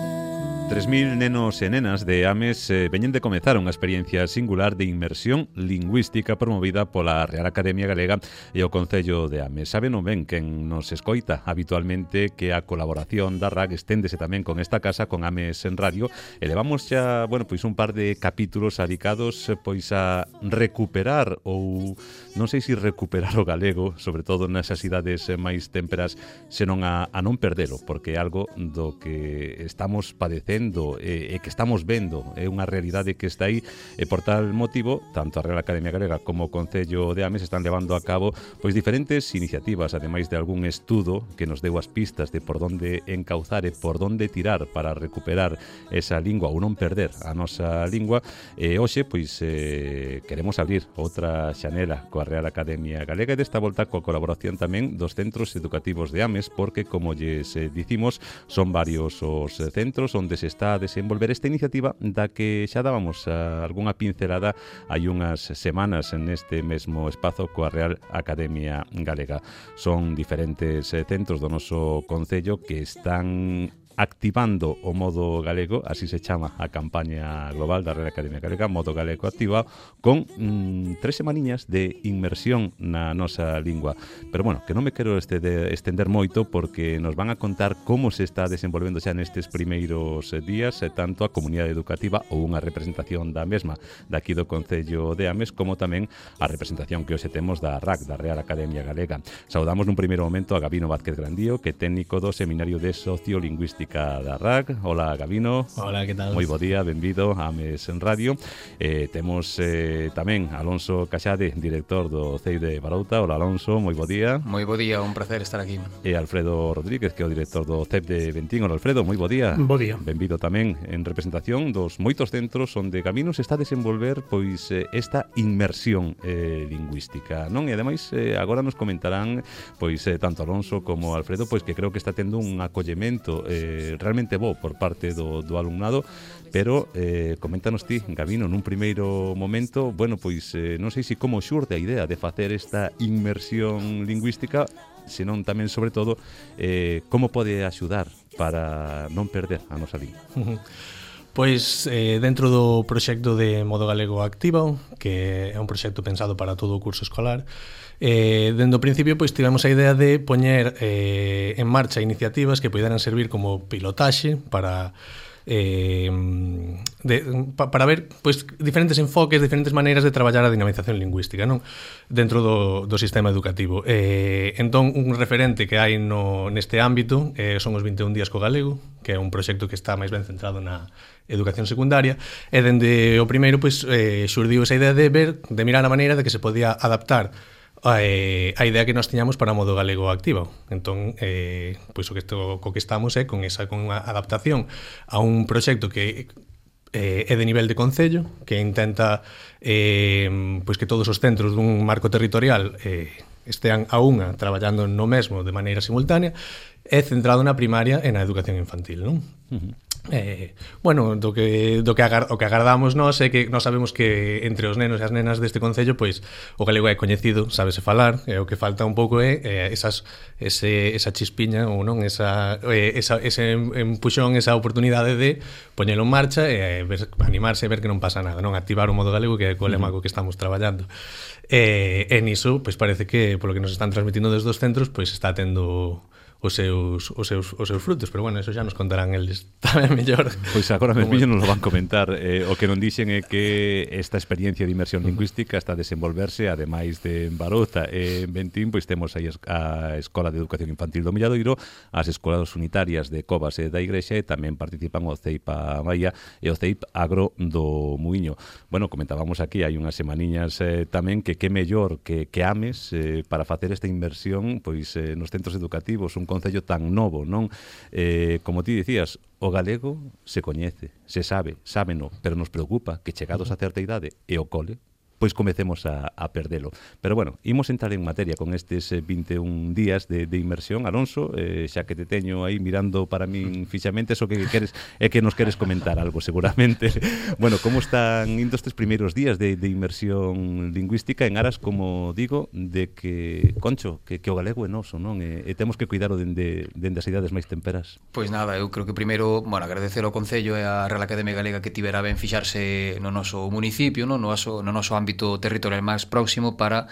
3.000 nenos e nenas de Ames veñen de comezar unha experiencia singular de inmersión lingüística promovida pola Real Academia Galega e o Concello de Ames. Saben ben quen nos escoita habitualmente que a colaboración da RAG esténdese tamén con esta casa, con Ames en Radio, e levamos xa, un par de capítulos dedicados a recuperar ou non sei se recuperar o galego, sobre todo nesas idades máis témperas, senón a non perdelo, porque é algo do que estamos padecendo e que estamos vendo, é unha realidade que está aí, e por tal motivo tanto a Real Academia Galega como o Concello de Ames están levando a cabo diferentes iniciativas, ademais de algún estudo que nos deu as pistas de por onde encauzar e por onde tirar para recuperar esa lingua ou non perder a nosa lingua. E hoxe queremos abrir outra xanela coa Real Academia Galega, e desta volta coa colaboración tamén dos centros educativos de Ames, porque como lles dicimos, son varios os centros onde se está a desenvolver esta iniciativa da que xa dábamos algunha pincelada hai unhas semanas neste mesmo espazo coa Real Academia Galega. Son diferentes centros do noso concello que están activando o modo galego, así se chama a campaña global da Real Academia Galega, modo galego activa, con 3 semaniñas de inmersión na nosa lingua. Pero bueno, que non me quero estender moito porque nos van a contar como se está desenvolvendo xa nestes primeiros días tanto a comunidade educativa ou unha representación da mesma daqui do Concello de Ames, como tamén a representación que hoxe temos da RAC, da Real Academia Galega. Saudamos nun primeiro momento a Gabino Vázquez Grandío, que é técnico do Seminario de Sociolingüística da RAC. Hola, Gabino. Hola, que tal? Moi bo día, benvido a Ames en Radio. Temos tamén Alonso Caxade, director do CEI de Barouta. Hola, Alonso, moi bo día. Moi bo día, un placer estar aquí. E Alfredo Rodríguez, que é o director do CEP de Bentín. Hola, Alfredo, moi bo día. Bo día. Benvido tamén en representación dos moitos centros onde Gabino se está a desenvolver pois esta inmersión lingüística, non? E ademais agora nos comentarán pois tanto Alonso como Alfredo pois que creo que está tendo un acollemento realmente bo por parte do alumnado, pero coméntanos ti, Gabino, nun primeiro momento, bueno, pois non sei se como xurde a idea de facer esta inmersión lingüística, senón tamén, sobre todo, como pode axudar para non perder a nosa lingua. Pois dentro do proxecto de Modo Galego Activa, que é un proxecto pensado para todo o curso escolar, dende o principio pois tivemos a idea de poñer en marcha iniciativas que poideran servir como pilotaxe para ver pois diferentes enfoques, diferentes maneiras de traballar a dinamización lingüística, non? Dentro do sistema educativo. Entón, un referente que hai neste ámbito son os 21 días co galego, que é un proxecto que está máis ben centrado na educación secundaria, e dende o primeiro pois xurdiu esa idea de mirar a maneira de que se podía adaptar a idea que nós tiñamos para Modo Galego Activa. Entón, pois co que estamos é con unha adaptación a un proxecto que é de nivel de concello, que intenta pois que todos os centros dun marco territorial estean a unha traballando no mesmo de maneira simultánea, é centrado na primaria e na educación infantil, non? Bueno, o que agardamos nós é que nós sabemos que entre os nenos e as nenas deste concello pois o galego é coñecido, sábese falar, e o que falta un pouco é esa chispiña ou non, ese empuxón, esa oportunidade de poñelo en marcha e animarse e ver que non pasa nada, non? Activar o modo galego, que é o lema co que estamos traballando. E niso, pois parece que polo que nos están transmitindo desde os centros, pois está tendo os seus frutos, pero bueno, eso xa nos contarán eles tamén mellor. Pois agora mesmo nos lo van comentar. O que non dixen é que esta experiencia de inmersión lingüística está a desenvolverse, ademais de en Barouta e en Bentín, pois temos aí a Escola de Educación Infantil do Milladoiro, as escolas unitarias de Covas e da Igrexa, e tamén participan o CEIP a Maia e o CEIP Agro do Muiño. Bueno, comentábamos aquí, hai unhas semaniñas tamén que mellor que Ames para facer esta inmersión pois nos centros educativos, un concello tan novo, non? Como ti dicías, o galego se coñece, se sabe, sábeno, pero nos preocupa que chegados a certa idade e o cole, pois comecemos a perdelo. Pero bueno, imos entrar en materia con estes 21 días de inmersión. Alonso, xa que te teño aí mirando para min fixamente, eso que queres é que nos queres comentar algo seguramente. Bueno, como están indo estes primeiros días de inmersión lingüística en aras, como digo, de que, Concho, que o galego é noso, non? E temos que cuidaro dende as idades máis temperas. Pois nada, eu creo que primeiro, bueno, agradecer ao Concello e á Real Academia Galega que tivera ben fixarse no noso municipio, no noso ámbito territorial máis próximo para,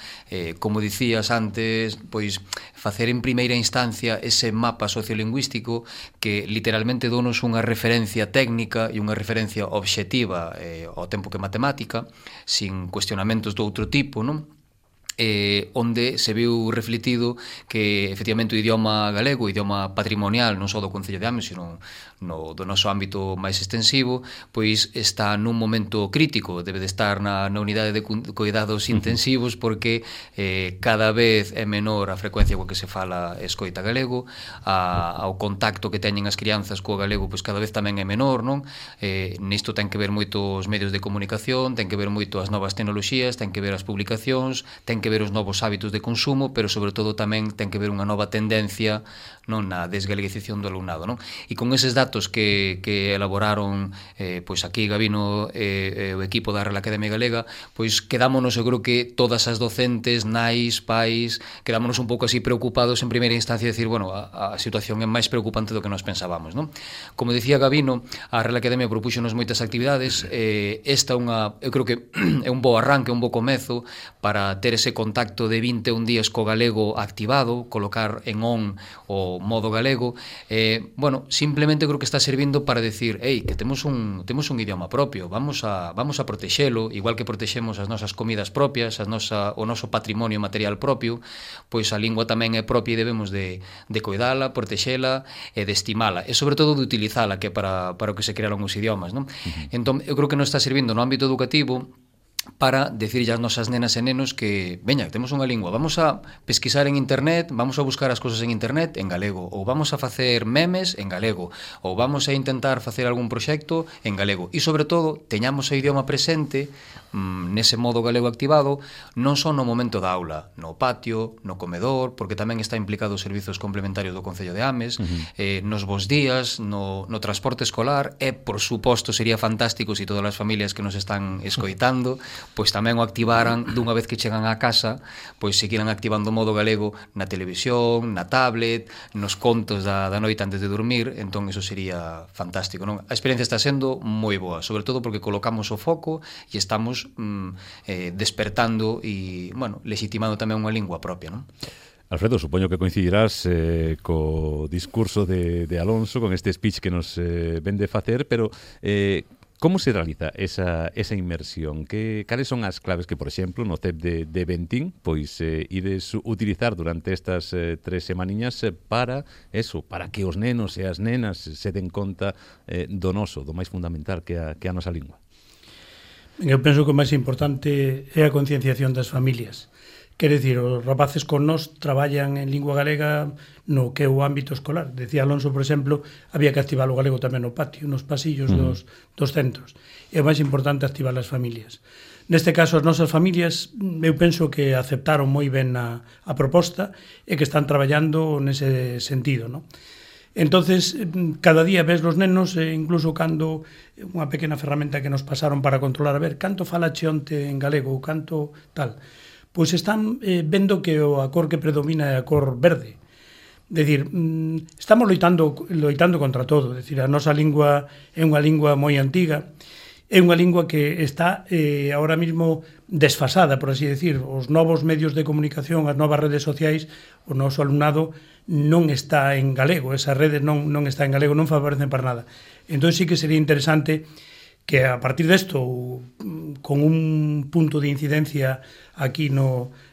como dicías antes, pois facer en primeira instancia ese mapa sociolingüístico que literalmente donos unha referencia técnica e unha referencia obxectiva ao tempo que matemática, sin cuestionamentos do outro tipo, non? Onde se viu refletido que efectivamente o idioma galego, o idioma patrimonial non só do Concello de Ames, sino do noso ámbito máis extensivo, pois está nun momento crítico, debe de estar na unidade de cuidados intensivos, porque cada vez é menor a frecuencia coa que se fala e escoita galego, ao contacto que teñen as crianzas co galego pois cada vez tamén é menor, non? Nisto ten que ver moito os medios de comunicación, ten que ver moito as novas tecnoloxías, ten que ver as publicacións, ten que ver que ver os novos hábitos de consumo, pero sobre todo tamén ten que ver unha nova tendencia, non, na desgaleguización do alumnado, non? E con eses datos que elaboraron pois aquí Gabino e o equipo da Real Academia Galega, pois quedámonos, eu creo que todas as docentes, nais, pais, quedámonos un pouco así preocupados en primeira instancia de decir, bueno, a situación é máis preocupante do que nos pensábamos, non? Como dicía Gabino, a Real Academia propúxonos moitas actividades, esta eu creo que é un bo arranque, un bo comezo para ter ese contacto de 21 días co galego activado, colocar en on o modo galego, bueno, simplemente creo que está servindo para decir, que temos un idioma propio, vamos a protexelo, igual que protexemos as nosas comidas propias, o noso patrimonio material propio, pois a lingua tamén é propia e debemos de coidala, protexela e de estimala, e sobre todo de utilizala, que é para o que se crearon os idiomas, non? Entón, eu creo que nos está servindo no ámbito educativo para decirlle ás nosas nenas e nenos que, veña, temos unha lingua, vamos a pesquisar en internet, vamos a buscar as cousas en internet en galego, ou vamos a facer memes en galego, ou vamos a intentar facer algún proxecto en galego, e sobre todo, teñamos o idioma presente nese modo galego activado, non só no momento da aula, no patio, no comedor, porque tamén está implicado os servizos complementarios do Concello de Ames, nos bos días, no transporte escolar, e, por suposto, sería fantástico se todas as familias que nos están escoitando pois tamén o activaran dunha vez que chegan á casa, pois seguiran activando o modo galego na televisión, na tablet, nos contos da noite antes de dormir. Entón, eso sería fantástico, non? A experiencia está sendo moi boa, sobre todo porque colocamos o foco e estamos despertando e, bueno, legitimando tamén unha lingua propia, non? Alfredo, supoño que coincidirás co discurso de Alonso, con este speech que nos ven de facer, pero como se realiza esa inmersión? Cales son as claves que, por exemplo, no CEP de Bentín, pois ides utilizar durante estas 3 semaniñas para que os nenos e as nenas se den conta do noso, do máis fundamental que a nosa lingua? Eu penso que o máis importante é a concienciación das familias. Quer dicir, os rapaces con nós traballan en lingua galega no que é o ámbito escolar. Decía Alonso, por exemplo, había que activar o galego tamén no patio, nos pasillos dos centros. É o máis importante activar as familias. Neste caso, as nosas familias, eu penso que aceptaron moi ben a proposta e que están traballando nese sentido, non? Entonces, cada día ves los nenos, incluso cando unha pequena ferramenta que nos pasaron para controlar, a ver, canto fala Cheonte en galego, canto tal, pois están vendo que a cor que predomina é a cor verde. É dicir, estamos loitando contra todo. É dicir, a nosa lingua é unha lingua moi antiga, é unha lingua que está ahora mismo desfasada, por así decir. Os novos medios de comunicación, as novas redes sociais, o noso alumnado non está en galego, esas redes non está en galego, non favorecen para nada. Entón sí que sería interesante que a partir desto, con un punto de incidencia aquí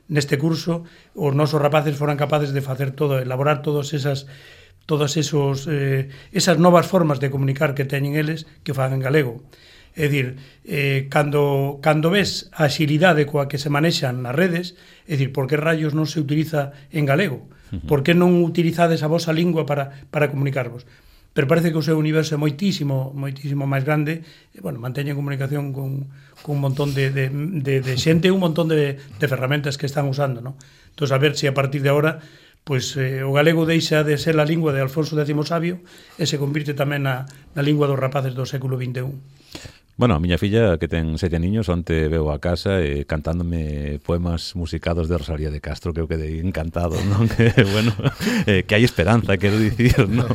neste curso, os nosos rapaces foran capaces de facer todo, elaborar todas esas novas formas de comunicar que teñen eles que fan en galego. É dicir, cando ves a axilidade coa que se manexan nas redes, é dicir, por que rayos non se utiliza en galego? Por que non utilizades a vosa lingua para comunicarvos? Pero parece que o seu universo é moitísimo máis grande, e, bueno, manteñen comunicación con un montón de xente, un montón de ferramentas que están usando, non? Entón, a ver se a partir de agora pois o galego deixa de ser a lingua de Alfonso X Sabio e se convirte tamén na lingua dos rapaces do século XXI. Bueno, a miña filla, que ten 7 niños, onte veu a casa cantándome poemas musicados de Rosalía de Castro, que eu quedei encantado, non? Que, bueno, que hai esperanza, quero dicir, non?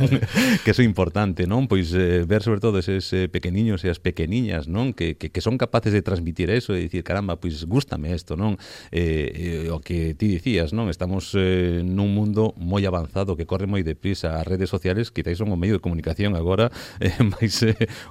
Que eso é importante, non? Pois ver sobre todo eses pequeniños e as pequeniñas, non? Que son capaces de transmitir eso e dicir, caramba, pois gústame isto, non? O que ti dicías, non? Estamos nun mundo moi avanzado, que corre moi deprisa. As redes sociales quizáis son o medio de comunicación agora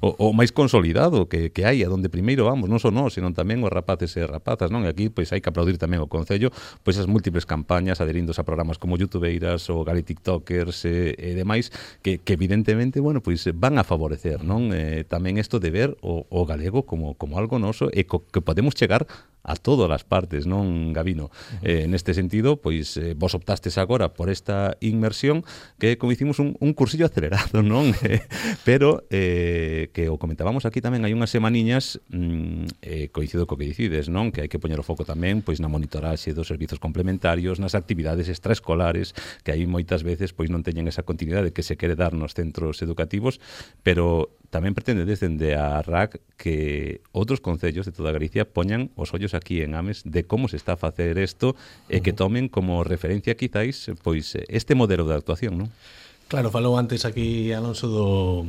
o máis consolidado que hai, a donde primeiro vamos, non só nós, senón tamén os rapaces e rapazas, non? E aquí pois hai que aplaudir tamén o Concello, pois as múltiples campañas adherindos a programas como Youtubeiras ou Gali TikTokers e demais que evidentemente, bueno, pois van a favorecer, non? Tamén isto de ver o galego como algo noso e que podemos chegar a todas as partes, non, Gabino? Neste sentido, pois vos optastes agora por esta inmersión que, como hicimos, un cursillo acelerado, non? Pero que o comentábamos aquí tamén, hai unhas semaniñas coincido co que dicides, non? Que hai que poñer o foco tamén pois na monitoraxe dos servizos complementarios, nas actividades extraescolares, que aí moitas veces pois non teñen esa continuidade que se quere dar nos centros educativos, pero tamén pretende dende a RAC que outros concellos de toda Galicia poñan os ollos aquí en Ames de como se está a facer isto e que tomen como referencia quizáis pois este modelo de actuación, non? Claro, falou antes aquí Alonso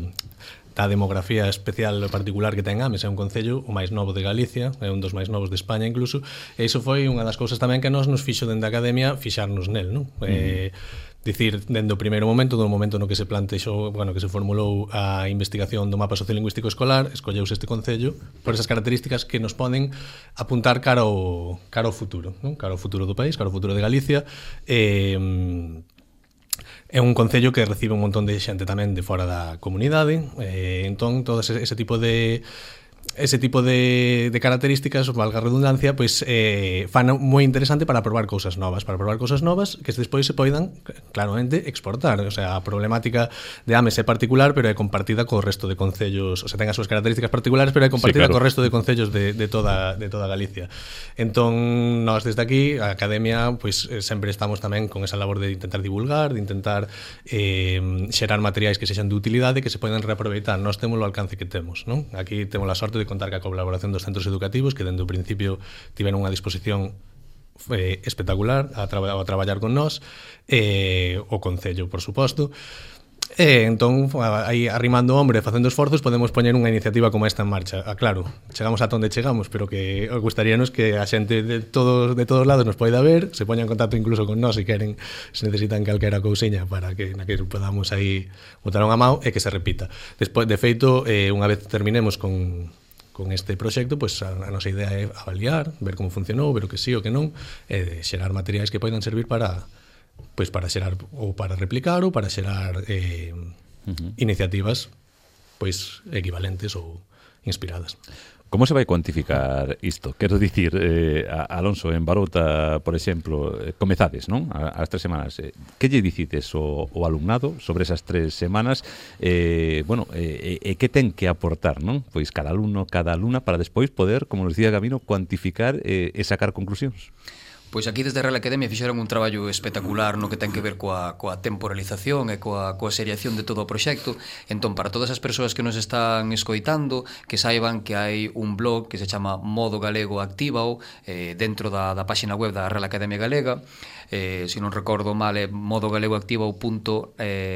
da demografía especial particular que ten Ames, é un concello o máis novo de Galicia, é un dos máis novos de España incluso, e iso foi unha das cousas tamén que nos fixo dende a academia fixarnos nel, non? Dicir, dende o primeiro momento, do momento no que se plantexou, bueno, que se formulou a investigación do mapa sociolingüístico escolar, escolleuse este concello por esas características que nos poden apuntar cara ao futuro, non? Cara ao futuro do país, cara ao futuro de Galicia. É un concello que recibe un montón de xente tamén de fora da comunidade, entón todo ese tipo de características, valga a redundancia, pois fan moi interesante para probar cousas novas que despois se poidan claramente exportar. O sea, a problemática de Ames é particular, pero é compartida co resto de concellos, o sea, ten as súas características particulares, pero é compartida co resto de concellos de toda Galicia. Entón, nós desde aquí, a Academia, pois sempre estamos tamén con esa labor de intentar divulgar, de intentar xerar materiais que sexan de utilidade, que se poden reaproveitar. Nós temos o alcance que temos, non? Aquí temos a sorte de contar ca colaboración dos centros educativos que dende o principio tiveron unha disposición espectacular a traballar con nós, o Concello, por suposto. Entón, aí arrimando o hombre, facendo esforzos, podemos poñer unha iniciativa como esta en marcha. Claro, chegamos a onde chegamos, pero que gustaríanos que a xente de todos lados nos poida ver, se poña en contacto incluso con nós se queren, se necesitan calquera cousiña para que na que podamos aí botar unha mão e que se repita. Despois, de feito, unha vez terminemos con este proxecto, pois a nosa idea é avaliar, ver como funcionou, ver o que sí o que non, e xerar materiais que poidan servir para xerar ou para replicar ou para xerar iniciativas pois equivalentes ou inspiradas. Como se vai cuantificar isto? Quero dicir, Alonso, en Barouta, por exemplo, comezades, non? As 3 semanas. Que lle dicides ao alumnado sobre esas 3 semanas? Bueno, que ten que aportar, non? Pois cada alumno, cada alumna, para despois poder, como nos dicía Gabino, cuantificar e sacar conclusións. Pois aquí desde a Real Academia fixeron un traballo espectacular no que ten que ver coa temporalización e coa seriación de todo o proxecto. Entón, para todas as persoas que nos están escoitando, que saiban que hai un blog que se chama Modo Galego Actívao dentro da páxina web da Real Academia Galega. Se non recordo mal, é modogalegoactivao.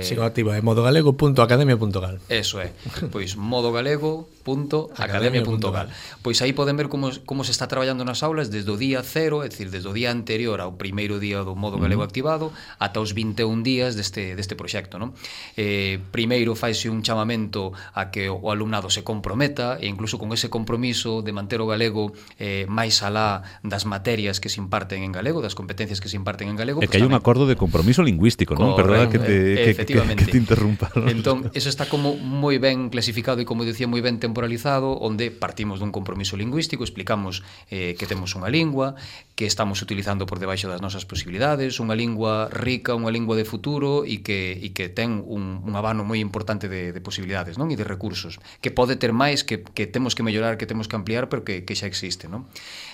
Sigo activa, é modogalego.academia.gal. Eso é, pois modogalego.academia.gal. Pois aí poden ver como se está traballando nas aulas desde o día 0, é dicir, desde o día anterior ao primeiro día do Modo Galego Activado ata os 21 días deste proxecto, non? Primeiro faise un chamamento a que o alumnado se comprometa e incluso con ese compromiso de manter o galego máis alá das materias que se imparten en galego, das competencias que se imparten en galego. É que hai un acordo de compromiso lingüístico, non? Perdona que te interrumpa. Entón, eso está como moi ben clasificado e, como dicía, moi ben temporalizado, onde partimos dun compromiso lingüístico, explicamos que temos unha lingua, que estamos utilizando por debaixo das nosas posibilidades, unha lingua rica, unha lingua de futuro e que ten un abano moi importante de posibilidades, non? E de recursos, que pode ter máis, que temos que mellorar, que temos que ampliar, pero que xa existe, non?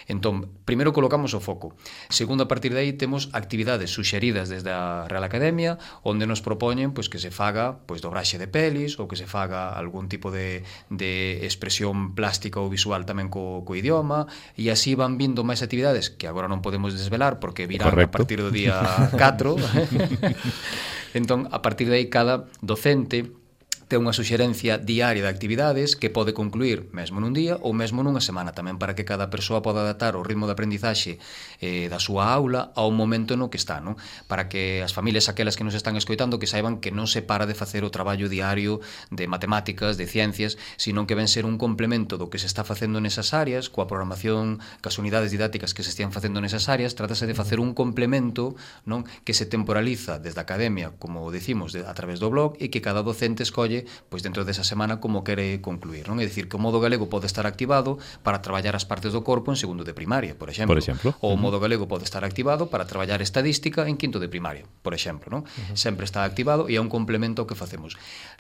Entón, primeiro colocamos o foco. Segundo, a partir de aí temos actividades suxeridas desde a Real Academia, onde nos propoñen pois que se faga pois dobraxe de pelis ou que se faga algún tipo de expresión plástica ou visual tamén co idioma, e así van vindo máis actividades que agora non podemos desvelar porque virán a partir do día 4. Entón, a partir de aí, cada docente ten unha suxerencia diaria de actividades que pode concluir mesmo nun día ou mesmo nunha semana, tamén para que cada persoa poda adaptar o ritmo de aprendizaxe da súa aula ao momento no que está, non? Para que as familias aquelas que nos están escoitando que saiban que non se para de facer o traballo diario de matemáticas, de ciencias, sino que ven ser un complemento do que se está facendo nesas áreas, coa programación, cas unidades didácticas que se estean facendo nesas áreas. Trátase de facer un complemento, non? Que se temporaliza desde a academia, como decimos, a través do blog, e que cada docente escolle decide pois dentro desa semana como quere concluir, non? É dicir, que o modo galego pode estar activado para traballar as partes do corpo en segundo de primaria, por exemplo. Ou o modo galego pode estar activado para traballar estadística en quinto de primaria, por exemplo, non? Sempre está activado e é un complemento ao que facemos.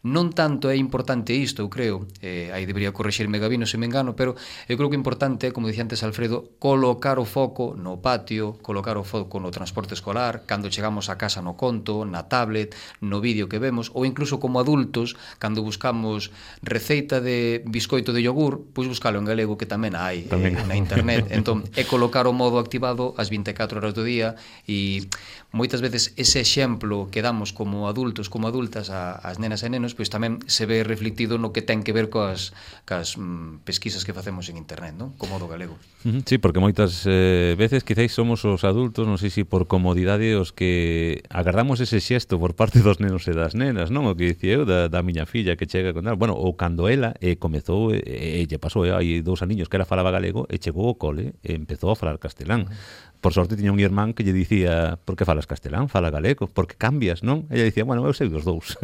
Non tanto é importante isto, eu creo, aí debería corrixirme Gabino se me engano, pero eu creo que é importante, como dicía antes Alfredo, colocar o foco no patio, colocar o foco no transporte escolar, cando chegamos a casa no conto, na tablet, no vídeo que vemos, ou incluso como adultos, cando buscamos receita de biscoito de yogur, pois buscalo en galego que tamén hai na internet. Entón, é colocar o modo activado as 24 horas do día e moitas veces ese exemplo que damos como adultos, como adultas ás nenas e nenos, pois tamén se ve reflectido no que ten que ver cas pesquisas que facemos en internet, non? Co modo galego. Sí, porque moitas veces quizáis somos os adultos, non sei se por comodidade, os que agardamos ese xesto por parte dos nenos e das nenas, non? O que dicía eu da miña filla que chega con... Bueno, ou cando ela comezou, lle pasou hai 2 aniños que ela falaba galego e chegou ao cole e empezou a falar castelán. Por sorte tiña un irmán que lle dicía: por que falas castelán? Fala galego, porque cambias, non? Ella dicía: bueno, eu sei dos dous.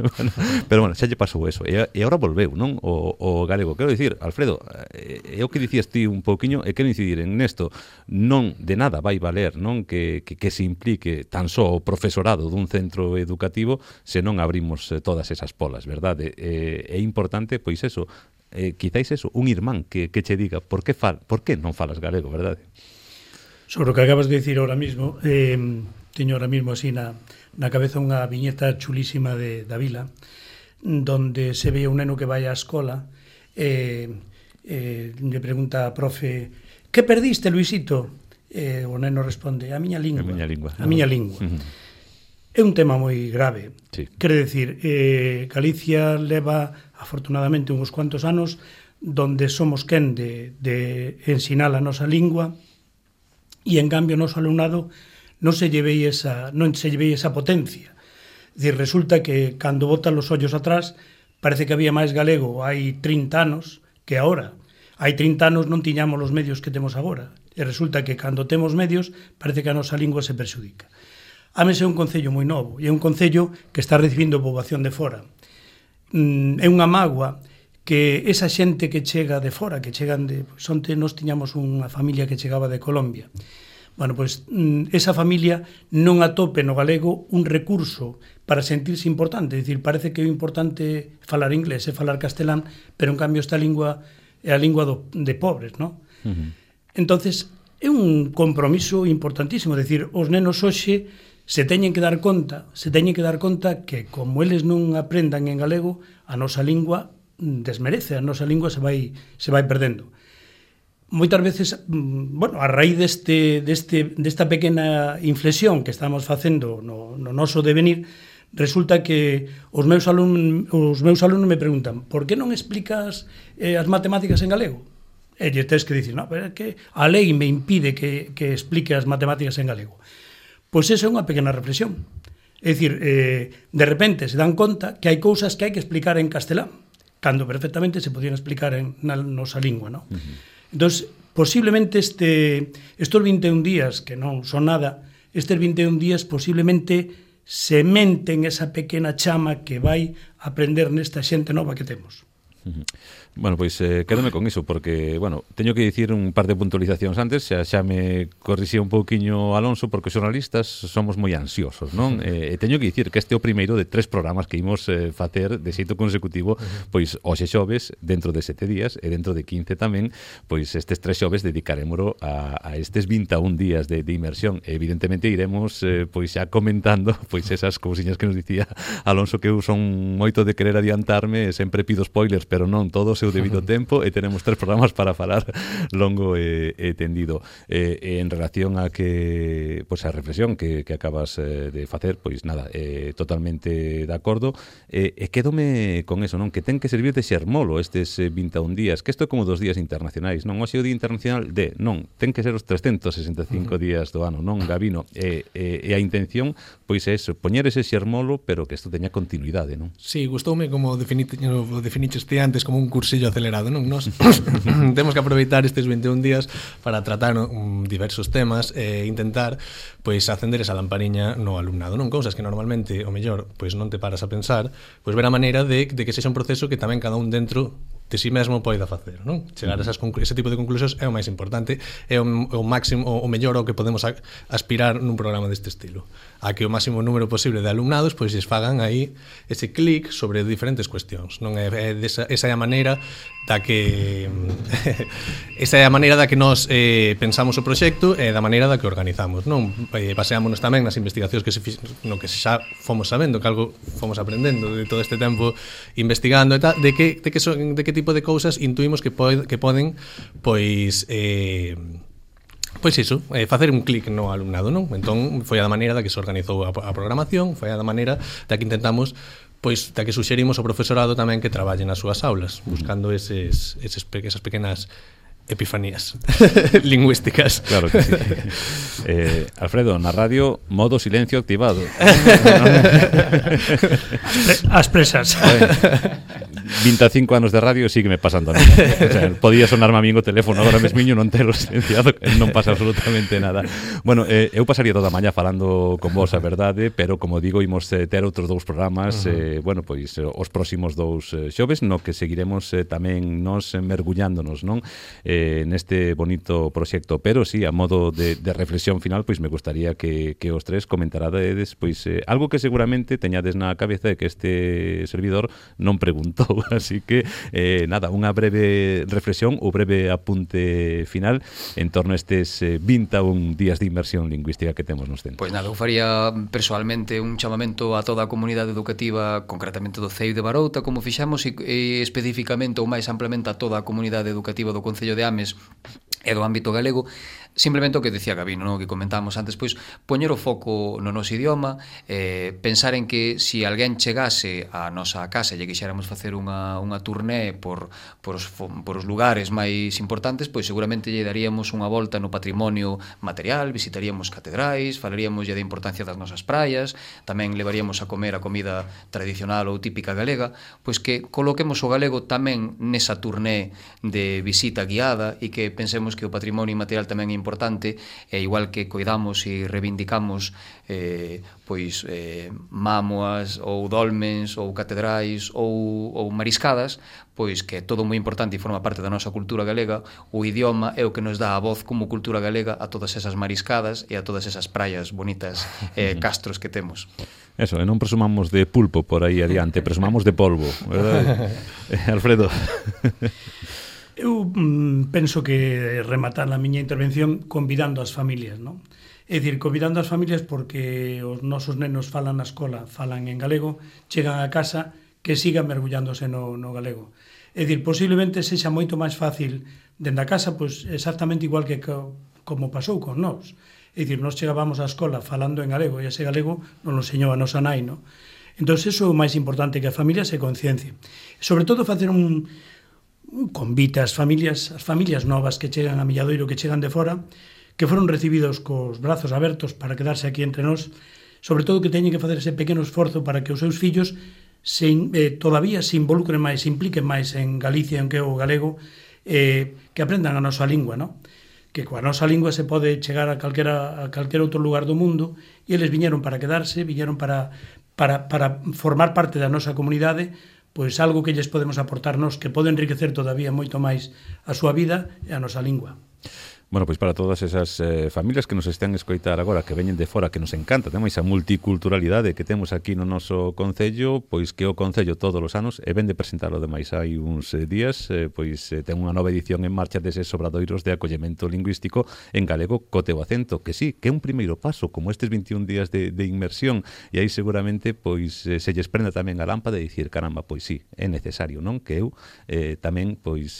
Pero bueno, xa lle pasou eso. E agora volveu, non? O galego. Quero dicir, Alfredo, é o que dicías ti un pouquiño, e quero incidir en nesto. Non de nada vai valer, non? Que se implique tan só o profesorado dun centro educativo se non abrimos todas esas polas, verdade? É importante, pois eso, quizáis eso, un irmán que che diga por que non falas galego, verdade? Sobre o que acabas de dicir ahora mismo, teño ahora mismo así na cabeza unha viñeta chulísima de Vila, donde se ve un neno que vai á escola e le pregunta a profe: que perdiste, Luisito? O neno responde: a miña lingua. A miña lingua. É un tema moi grave. Sí. Quere decir, Galicia leva, afortunadamente, uns cuantos anos donde somos quen de ensinar a nosa lingua, e en cambio o noso alumnado non se lle ve esa potencia. É dicir, resulta que cando botan os ollos atrás parece que había máis galego hai 30 anos que agora. Hai 30 anos non tiñamos os medios que temos agora, e resulta que cando temos medios parece que a nosa lingua se perxudica. Ames é un concello moi novo, e é un concello que está recibindo poboación de fora. É unha mágoa que esa xente que chega de fora, que chegan de... Onte nós tiñamos unha familia que chegaba de Colombia. Bueno, pois esa familia non atope no galego un recurso para sentirse importante. É dicir, parece que é importante falar inglés e falar castelán, pero en cambio esta lingua é a lingua de pobres, non? Entonces, é un compromiso importantísimo. É dicir, os nenos hoxe se teñen que dar conta que como eles non aprendan en galego, a nosa lingua desmerece, a nosa lingua se vai perdendo. Moitas veces, bueno, a raíz desta pequena inflexión que estamos facendo no noso devenir, resulta que os meus alumnos me preguntan: por que non explicas as matemáticas en galego? E lle tens que dicir: no, pero é que a lei me impide que explique as matemáticas en galego. Pois esa é unha pequena reflexión. É dicir, de repente se dan conta que hai cousas que hai que explicar en castelán, cando perfectamente se podían explicar na nosa lingua, non? Entón, posiblemente estos 21 días, que non son nada, estes 21 días posiblemente sementen esa pequena chama que vai aprender nesta xente nova que temos. Bueno, pois quédome con iso, porque, bueno, teño que dicir un par de puntualizacións antes, xa me corrixía un pouquiño Alonso, porque os xornalistas somos moi ansiosos, non? E teño que dicir que este é o primeiro de 3 programas que imos facer de xeito consecutivo, pois hoxe xoves, dentro de 7 días, e dentro de 15 tamén, pois estes 3 xoves dedicarémolo a estes 21 días de inmersión. Evidentemente iremos, pois xa comentando, pois esas cousiñas que nos dicía Alonso, que eu son moito de querer adiantarme, sempre pido spoilers, pero non todo seu debido tempo, e tenemos 3 programas para falar longo e tendido. En relación a que, pois a reflexión que acabas de facer, pois nada, totalmente de acordo, e quédome con eso, non? Que ten que servir de xermolo estes 21 días, que isto é como 2 días internacionais, non? Hoxe o Día Internacional non, ten que ser os 365 días do ano, non, Gabino? E a intención, pois é eso, poñer ese xermolo, pero que isto teña continuidade, non? Sí, gustoume como definiches antes como un curso cursillo acelerado, non? Nos temos que aproveitar estes 21 días para tratar diversos temas e intentar pois acender esa lampariña no alumnado, non? Cousas que normalmente, o mellor, pois non te paras a pensar, pois ver a maneira de que sexa un proceso que tamén cada un dentro de si mesmo poida facer, non? Chegar a ese tipo de conclusións é o máis importante, é o máximo, o mellor ao que podemos aspirar nun programa deste estilo, a que o máximo número posible de alumnados pois lles fagan aí ese clic sobre diferentes cuestións, non? Esa é a maneira da que esa é a maneira da que nós pensamos o proxecto e da maneira da que organizamos, non? Baseámonos tamén nas investigacións que no que xa fomos sabendo, que algo fomos aprendendo de todo este tempo investigando e tal, de que tipo de cousas intuímos que poden pois iso, facer un clic no alumnado, non? Entón foi a maneira da que se organizou a programación, foi a maneira da que intentamos pois da que suxerimos ao profesorado tamén que traballe nas súas aulas, buscando esas pequenas epifanías lingüísticas. Claro que sí. Alfredo, na radio, modo silencio activado. As presas. 25 anos de radio sigue me pasando nada. O sea, podía sonarme a mí o teléfono agora mesmiño, non telo silenciado, non pasa absolutamente nada. Bueno, eu pasaría toda a mañá falando con vos, a verdade, pero como digo, imos ter outros dous programas, bueno, pois os próximos dous xoves, no que seguiremos tamén nos mergullándonos, non? Neste bonito proxecto, pero sí, a modo de reflexión final, pois me gustaría que os tres comentarades pois algo que seguramente teñades na cabeza e que este servidor non preguntou, así que nada, unha breve reflexión ou breve apunte final en torno a estes 21 días de inmersión lingüística que temos nos centros. Pois nada, eu faría personalmente un chamamento a toda a comunidade educativa, concretamente do CEI de Barouta, como fixamos, e especificamente ou máis amplamente a toda a comunidade educativa do Concello de Ames e do ámbito galego, simplemente o que decía Gabino, no? Que comentábamos antes, pois poñer o foco no noso idioma, pensar en que se alguén chegase a nosa casa e lle quixéramos facer unha turné por os lugares máis importantes, pois seguramente lle daríamos unha volta no patrimonio material, visitaríamos catedrais, falaríamos da importancia das nosas praias, tamén levaríamos a comer a comida tradicional ou típica galega, pois que coloquemos o galego tamén nesa turné de visita guiada e que pensemos que o patrimonio inmaterial tamén é importante, e igual que coidamos e reivindicamos mámoas ou dolmens ou catedrais ou mariscadas, pois que é todo moi importante e forma parte da nosa cultura galega. O idioma é o que nos dá a voz como cultura galega a todas esas mariscadas e a todas esas praias bonitas e castros que temos. Eso, e non presumamos de pulpo por aí adiante, presumamos de polvo, verdade? Alfredo. Eu penso que rematar a miña intervención convidando as familias, non? É dicir, convidando as familias porque os nosos nenos falan na escola, falan en galego, chegan a casa que sigan mergullándose no galego. É dicir, posiblemente sexa moito máis fácil dende a casa, pois exactamente igual que como pasou con nós. É dicir, nós chegábamos á escola falando en galego e ese galego non lo enseñou a nosa nai, non? Entón, iso é o máis importante, que a familia se conciencia. Sobre todo, facer un convite ás familias novas que chegan a Milladoiro, que chegan de fora, que foron recibidos cos brazos abertos para quedarse aquí entre nós, sobre todo que teñen que facer ese pequeno esforzo para que os seus fillos todavía se involucren máis, se impliquen máis en Galicia, en que é o galego, que aprendan a nosa lingua, non? Que coa nosa lingua se pode chegar a calquera outro lugar do mundo, e eles viñeron para quedarse, viñeron para formar parte da nosa comunidade, pois algo que lles podemos aportarnos que pode enriquecer todavía moito máis a súa vida e a nosa lingua. Bueno, pois para todas esas familias que nos están a escoitar agora, que veñen de fora, que nos encanta, temos esa multiculturalidade que temos aquí no noso Concello, pois que o Concello todos os anos, e ven de presentalo demais hai uns días, pois ten unha nova edición en marcha deses obradoiros de acollemento lingüístico en galego co teu acento, que sí, que é un primeiro paso, como estes 21 días de inmersión, e aí seguramente pois se lles prenda tamén a lámpada de dicir, caramba, pois sí, é necesario, non? Que eu tamén pois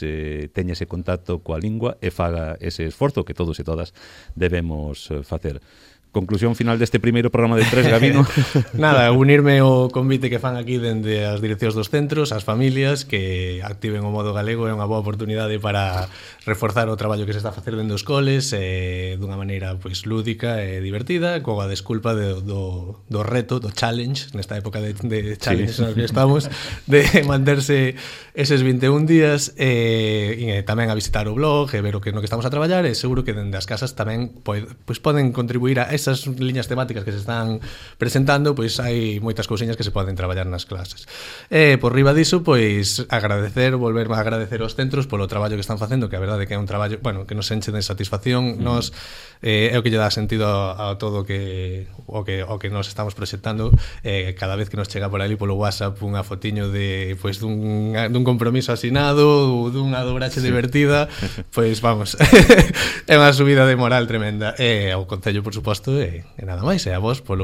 teña ese contacto coa lingua e faga ese esforzo que todos e todas debemos facer. conclusión final deste primeiro programa de 3, Gabino. Nada, unirme ao convite que fan aquí dende as direccións dos centros, as familias, que activen o modo galego, é unha boa oportunidade para reforzar o traballo que se está a facer dentro dos coles dunha maneira pois lúdica e divertida, coa desculpa do reto, do challenge, nesta época de challenge sí, que estamos, de manterse eses 21 días e tamén a visitar o blog e ver o que no que estamos a traballar, e seguro que dende as casas tamén pois poden contribuir a esas liñas temáticas que se están presentando, pois hai moitas cousiñas que se poden traballar nas clases. Por riba diso, pois volver a agradecer aos centros polo traballo que están facendo, que a verdade que é un traballo, bueno, que nos enche de satisfacción, nos é o que lle dá sentido a todo o que nos estamos proxectando. Cada vez que nos chega por ali polo WhatsApp unha fotiño de pois dun compromiso asinado ou dunha dobraxe divertida, pois vamos, é unha subida de moral tremenda. Ao Concello, por suposto, e nada máis, e a vos por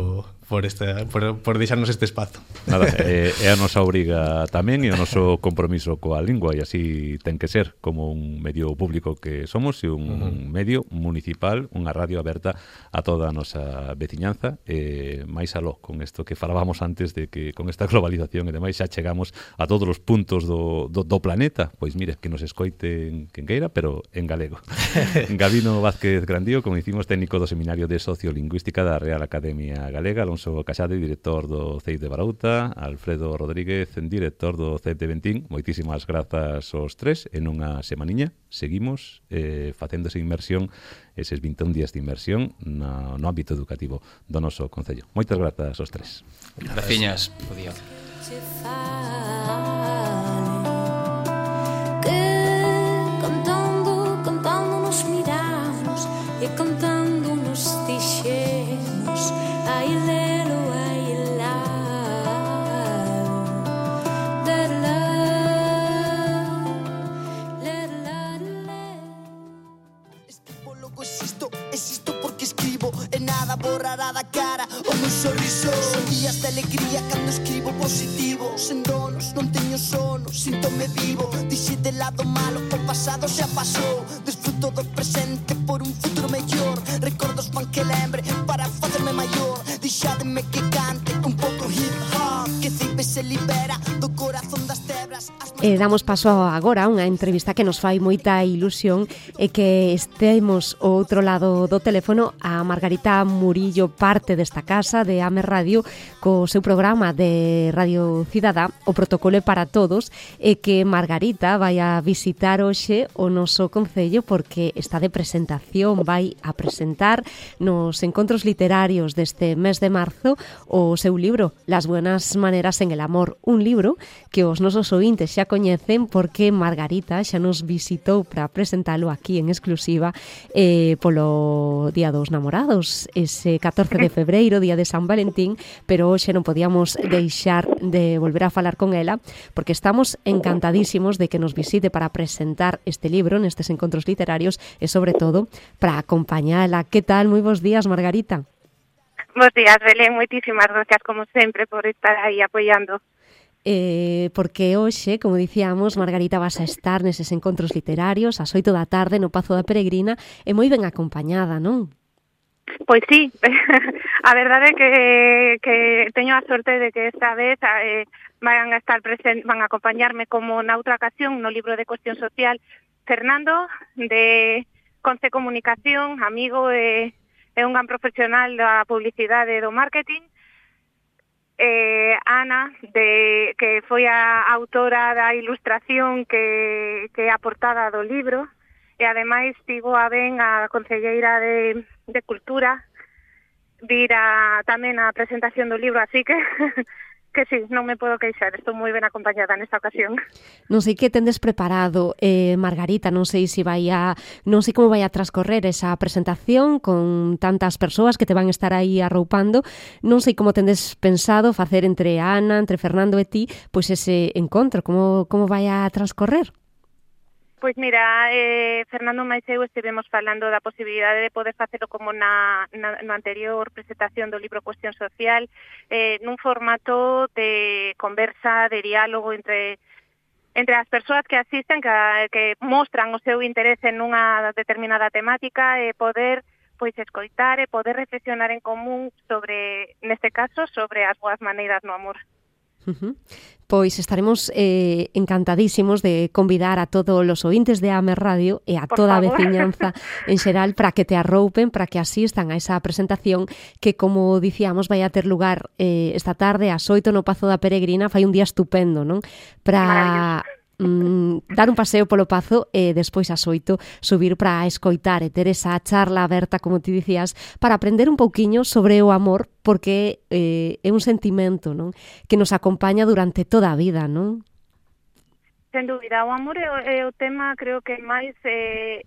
deixarnos este espazo. Nada, é a nosa obriga tamén e o noso compromiso coa lingua, e así ten que ser, como un medio público que somos e un medio municipal, unha radio aberta a toda a nosa veciñanza, e máis aló con isto que falábamos antes de que con esta globalización e demais xa chegamos a todos os puntos do planeta. Pois mire, que nos escoiten quen queira, pero en galego. Gabino Vázquez Grandío, como dicimos, técnico do Seminario de Sociolingüística da Real Academia Galega, Alonso Casade, director do CEIP de Barauta, Alfredo Rodríguez, director do CEIP de Bentín. Moitísimas grazas aos tres. En unha semaniña seguimos facendo esa inmersión, eses 21 días de inmersión no ámbito educativo do noso Concello. Moitas grazas aos tres. Graciñas. Cantando nos miramos e cantando nos dixemos ai lelo, ai lá, escribo, logo existo porque escribo e nada borrará da cara o meu sorriso. Son días de alegría cando escribo positivo, sen donos, non teño sono, síntome vivo. Dixe de lado malo, o pasado xa pasou, desfruto do presente por un futuro mellor. Recordos fan que lembre para facerme maior. Dixádeme que cante un pouco hip hop, que Cipe se libera do corazón das tebras. Damos paso agora a unha entrevista que nos fai moita ilusión e que estemos ao outro lado do teléfono a Margarita Murillo, parte desta casa de AME Radio, co seu programa de Radio Cidadá, o Protocolo para Todos, e que Margarita vai a visitar hoxe o noso Concello porque está de presentación, vai a presentar nos encontros literarios deste mes de marzo o seu libro Las buenas maneras en el amor, un libro que os nosos ointes xa coñecen porque Margarita xa nos visitou para presentalo aquí en exclusiva polo Día dos Namorados, ese 14 de febreiro, Día de San Valentín, pero hoxe non podíamos deixar de volver a falar con ela porque estamos encantadísimos de que nos visite para presentar este libro nestes encontros literarios e, sobre todo, para acompañala. Que tal? Moi bons días, Margarita. Bos días, Belén. Moitísimas gracias, como sempre, por estar aí apoiando. Porque hoxe, como dicíamos, Margarita vas a estar neses encontros literarios ás 8 da tarde no Pazo da Peregrina e moi ben acompañada, non? Pois sí, a verdade é que teño a sorte de que esta vez van a estar van a acompañarme como na outra ocasión no libro de Cuestión Social Fernando de Conce Comunicación, amigo e un gran profesional da publicidade e do marketing, Ana, que foi a autora da ilustración que é a portada do libro, e ademais tivo a ben a concelleira de Cultura vir tamén a presentación do libro, así que sí, non me podo queixar, estou moi ben acompañada nesta ocasión. Non sei que tendes preparado, Margarita, non sei como vai a transcorrer esa presentación con tantas persoas que te van estar aí arroupando, non sei como tendes pensado facer entre Ana, entre Fernando e ti, pois ese encontro, como vai a transcorrer? Pois mira, Fernando máis eu estivemos falando da posibilidade de poder facelo como no anterior presentación do libro Cuestión Social, nun formato de conversa, de diálogo entre as persoas que asisten, que mostran o seu interese en unha determinada temática, e poder pois escoitar e poder reflexionar en común sobre, neste caso, sobre as boas maneiras no amor. Pois estaremos encantadísimos de convidar a todos os ointes de AME Radio e a toda a veciñanza en xeral para que te arroupen, para que asistan a esa presentación que, como dicíamos, vai a ter lugar esta tarde ás 8 no Pazo da Peregrina. Fai un día estupendo, non? Para dar un paseo polo Pazo e despois ás 8 subir para escoitar e ter esa charla aberta, como ti dicías, para aprender un pouquiño sobre o amor, porque é un sentimento, non, que nos acompaña durante toda a vida, non? Sen dúbida, o amor é o tema, creo que máis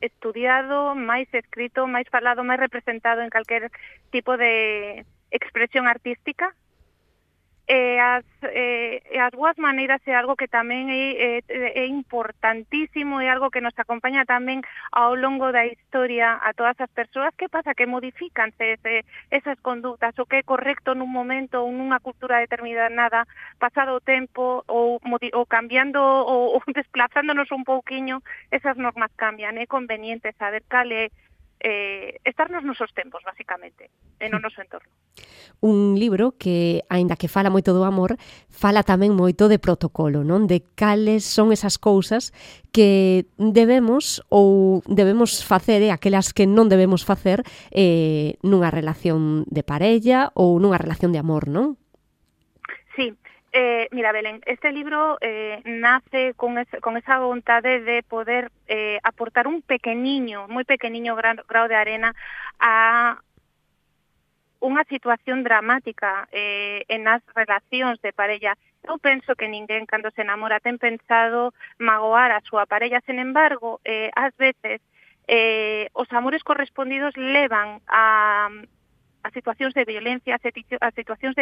estudiado, máis escrito, máis falado, máis representado en calquer tipo de expresión artística. As boas maneiras é algo que tamén é importantísimo, é algo que nos acompaña tamén ao longo da historia a todas as persoas. Que pasa? Que modifícanse esas conductas, o que é correcto nun momento ou nunha cultura determinada, pasado o tempo ou cambiando ou desplazándonos un pouquiño, esas normas cambian. É conveniente saber cal é estar nos nosos tempos, basicamente, e no noso entorno. Un libro que, aínda que fala moito do amor, fala tamén moito de protocolo, non? De cales son esas cousas que debemos facer e aquelas que non debemos facer nunha relación de parella ou nunha relación de amor, non? Sí. Mira, Belén, este libro nace con esa vontade de poder aportar un moi pequeniño grao de arena a unha situación dramática en as relacións de parella. Eu penso que ninguén, cando se enamora, ten pensado magoar a súa parella. Sen embargo, ás veces, os amores correspondidos levan a situacións de violencia, a situacións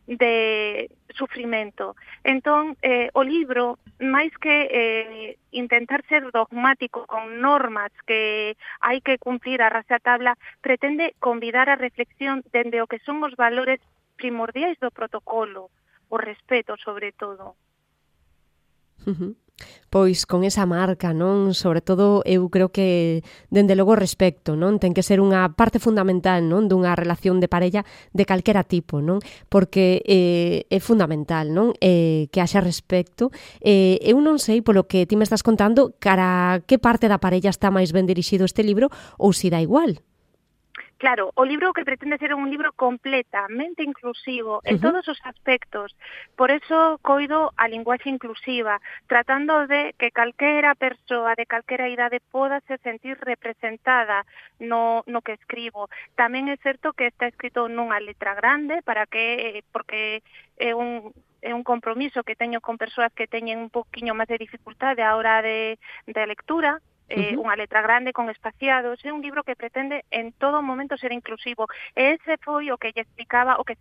de sufrimento. Entón, o libro, máis que intentar ser dogmático con normas que hai que cumplir a rajatabla, pretende convidar a reflexión dende o que son os valores primordiais do protocolo, o respeto, sobre todo. Pois con esa marca, non? Sobre todo, eu creo que, dende logo, respecto, non? Ten que ser unha parte fundamental, non? Dunha relación de parella de calquera tipo, non? Porque é fundamental, non? Que haxa respecto. Eu non sei, polo que ti me estás contando, cara que parte da parella está máis ben dirixido este libro, ou si dá igual. Claro, o libro que pretende ser un libro completamente inclusivo en todos os aspectos. Por eso coido a linguaxe inclusiva, tratando de que calquera persoa de calquera idade poda se sentir representada no que escribo. Tamén é certo que está escrito nunha letra grande porque é un compromiso que teño con persoas que teñen un poquinho máis de dificultade a hora de lectura. Unha letra grande con espaciados. É un libro que pretende en todo momento ser inclusivo. E ese foi o que lle explicaba, o que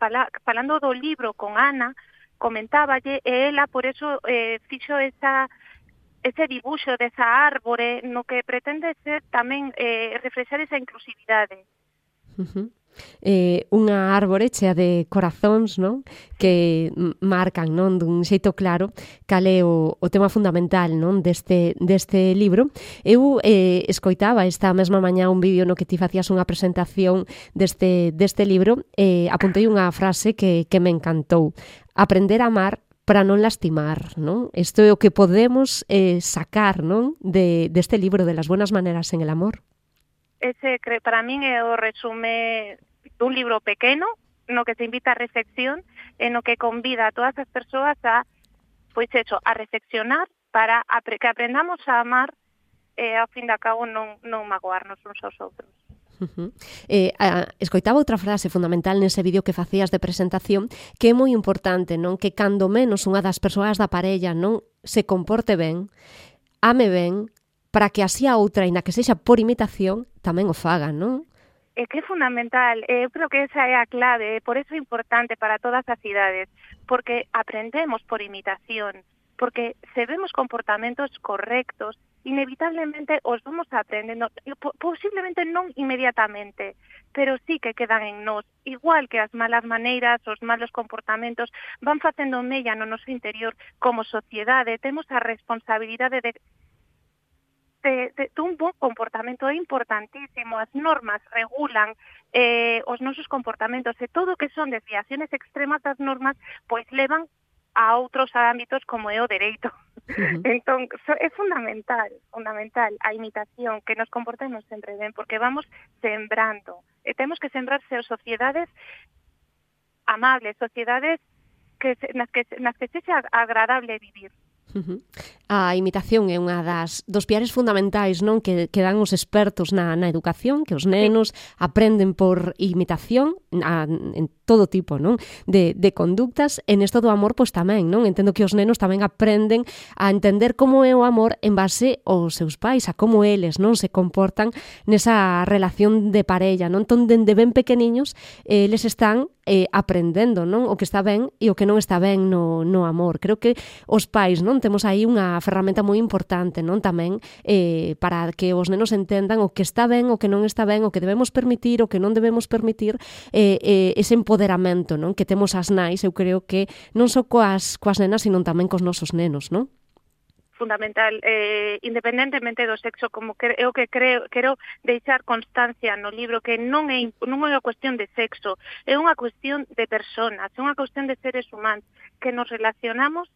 falando do libro con Ana, comentáballe, e ela por eso fixo ese dibuixo desa árbore no que pretende ser tamén reflexar esa inclusividade. Unha árbore chea de corazóns, non? Que marcan, non, dun xeito claro cal é o tema fundamental, non, deste libro. Eu escoitaba esta mesma mañá un vídeo no que ti facías unha presentación deste libro e apuntei unha frase que me encantou. Aprender a amar para non lastimar, non? Isto é o que podemos sacar, non, deste libro de las buenas maneras en el amor. Ese, para min, é o resume dun libro pequeno, no que se invita a reflexión, e no que convida a todas as persoas a reflexionar para que aprendamos a amar e, ao fin de cabo, non magoarnos uns aos outros. Escoitaba outra frase fundamental nese vídeo que facías de presentación, que é moi importante, non? Que cando menos unha das persoas da parella non se comporte ben, ame ben, para que así a outra, ina que sexa por imitación, tamén o faga, non? É que é fundamental, eu creo que esa é a clave, por eso é importante para todas as idades, porque aprendemos por imitación, porque se vemos comportamentos correctos, inevitablemente os vamos aprendendo, posiblemente non inmediatamente, pero sí que quedan en nós, igual que as malas maneiras, os malos comportamentos van facendo mella no noso interior como sociedade. Temos a responsabilidade de dun bon comportamento. É importantísimo, as normas regulan os nosos comportamentos e todo o que son desviaciones extremas das normas pois levan a outros ámbitos como é o dereito. Entón, é fundamental a imitación, que nos comportemos sempre ben, porque vamos sembrando. E temos que sembrar sociedades amables, sociedades nas que sexa agradable vivir. A imitación é unha dos piares fundamentais, non, que dan os expertos na educación, que os nenos aprenden por imitación en todo tipo, non, de conductas, e nesto do amor pois tamén, non? Entendo que os nenos tamén aprenden a entender como é o amor en base aos seus pais, a como eles, non, se comportan nesa relación de parella, non? Entón, dende ben pequeniños, eles están aprendendo, non, o que está ben e o que non está ben no amor. Creo que os pais, non, temos aí unha ferramenta moi importante, non, tamén para que os nenos entendan o que está ben, o que non está ben, o que debemos permitir, o que non debemos permitir, ese empoderamento, non, que temos as nais, eu creo que non só coas nenas, sino tamén cos nosos nenos, non? Fundamental, independentemente do sexo, como eu que quero deixar constancia no libro que non é unha cuestión de sexo, é unha cuestión de personas, é unha cuestión de seres humanos que nos relacionamos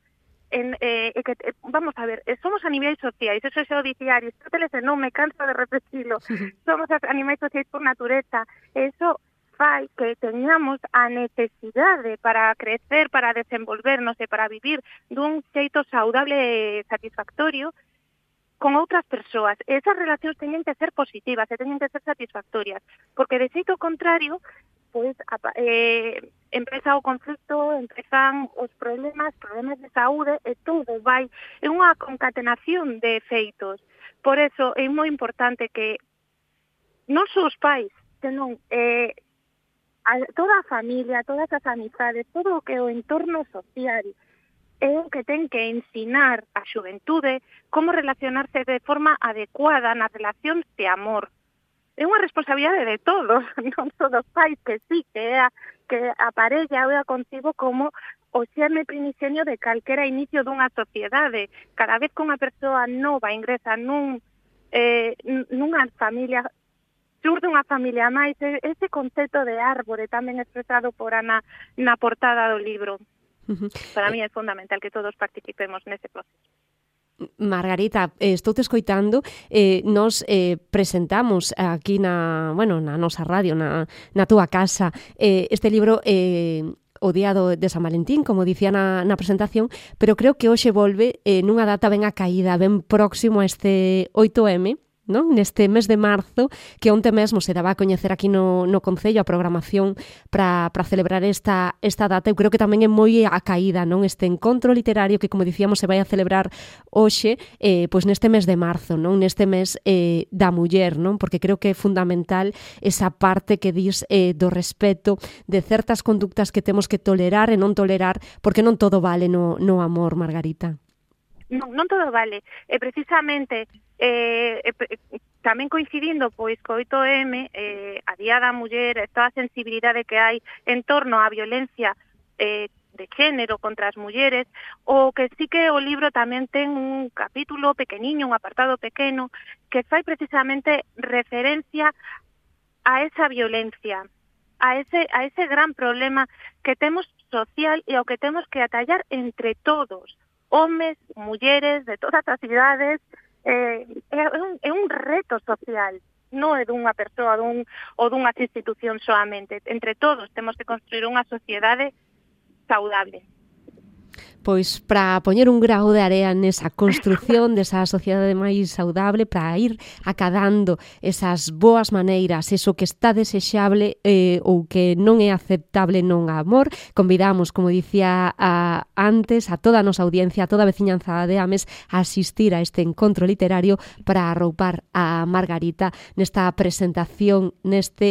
vamos a ver, somos animais sociais, eso xa o dicía Aristóteles e non me canso de repetirlo, somos animais sociais por natureza, eso fai que teñamos a necesidade para crecer, para desenvolvernos e para vivir dun xeito saudable e satisfactorio con outras persoas. Esas relacións teñen que ser positivas e teñen que ser satisfactorias, porque de xeito contrario, pois empeza o conflicto, empezan os problemas de saúde e todo vai, é unha concatenación de efeitos. Por eso é moi importante que non só os pais, senón toda a familia, todas as amizades, todo o que é o entorno social é o que ten que ensinar a xuventude como relacionarse de forma adecuada nas relacións de amor. É unha responsabilidade de todos, non só dos pais, que sí, que a parella ou a contigo como o xerme primigenio de calquera inicio dunha sociedade. Cada vez que unha persoa nova ingresa nunha familia, surde unha familia máis, ese concepto de árbore tamén expresado por Ana na portada do libro. Para mí é fundamental que todos participemos nese proceso. Margarita, estou te escoitando, nos presentamos aquí na nosa radio, na túa casa, este libro o día de San Valentín, como dicía na presentación, pero creo que hoxe volve nunha data ben acaída, ben próximo a este 8M, non? Neste mes de marzo, que onte mesmo se daba a coñecer aquí no Concello a programación para celebrar esta data. Eu creo que tamén é moi acaída, non? Este encontro literario que, como dicíamos, se vai a celebrar hoxe, pois neste mes de marzo, non? Neste mes da muller, non? Porque creo que é fundamental esa parte que dis do respeto de certas conductas que temos que tolerar e non tolerar, porque non todo vale no amor, Margarita. Non todo vale. E precisamente tamén coincidindo pois co 8M, a Día da Muller, toda a sensibilidade que hai en torno á violencia de género contra as mulleres, o que sí que o libro tamén ten un capítulo pequeniño, un apartado pequeno, que fai precisamente referencia a esa violencia, a ese gran problema que temos social e ao que temos que atallar entre todos, homes, mulleres, de todas as idades. É un reto social, non é dunha persoa ou dunhas institucións solamente. Entre todos temos que construir unha sociedade saudable. Pois para poñer un grao de area nesa construción desa sociedade máis saudable, para ir acadando esas boas maneiras, eso que está desexable ou que non é aceptable non a amor, convidamos, como dicía antes, a toda a nosa audiencia, a toda a veciñanza de Ames a asistir a este encontro literario para arroupar a Margarita nesta presentación, nesta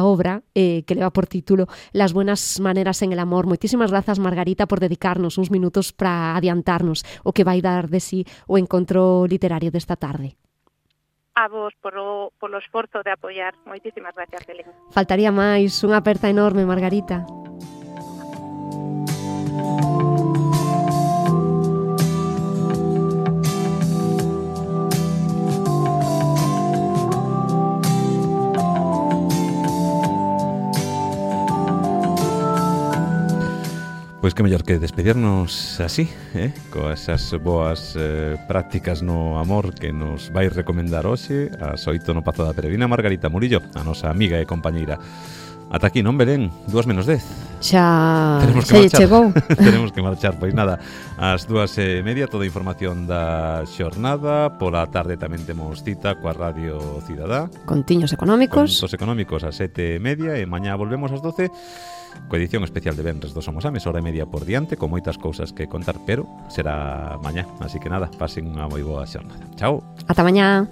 obra que leva por título Las buenas maneras en el amor. Moitísimas grazas, Margarita, por dedicarnos uns minutos para adiantarnos o que vai dar de sí o encontro literario desta tarde. A vos polo esforzo de apoiar. Moitísimas gracias, Belén. Faltaría máis. Unha aperta enorme, Margarita. Pois que mellor que despedirnos así, coas boas prácticas no amor que nos vai recomendar hoxe ás 8 no Pazo da Peregrina Margarita Murillo, a nosa amiga e compañeira. Ata aquí, non, Belén? 2:10. Xa lle chegou. Tenemos que marchar, pois nada, ás 2:30 toda a información da xornada. Pola tarde tamén temos cita coa Radio Cidadá. Contiños económicos. Contos económicos ás 7:30 e mañá volvemos ás 12 coa edición especial de Venres do Somos Ames, hora e media por diante, con moitas cousas que contar, pero será mañá. Así que nada, pasen unha moi boa xornada. Chao. Ata mañá.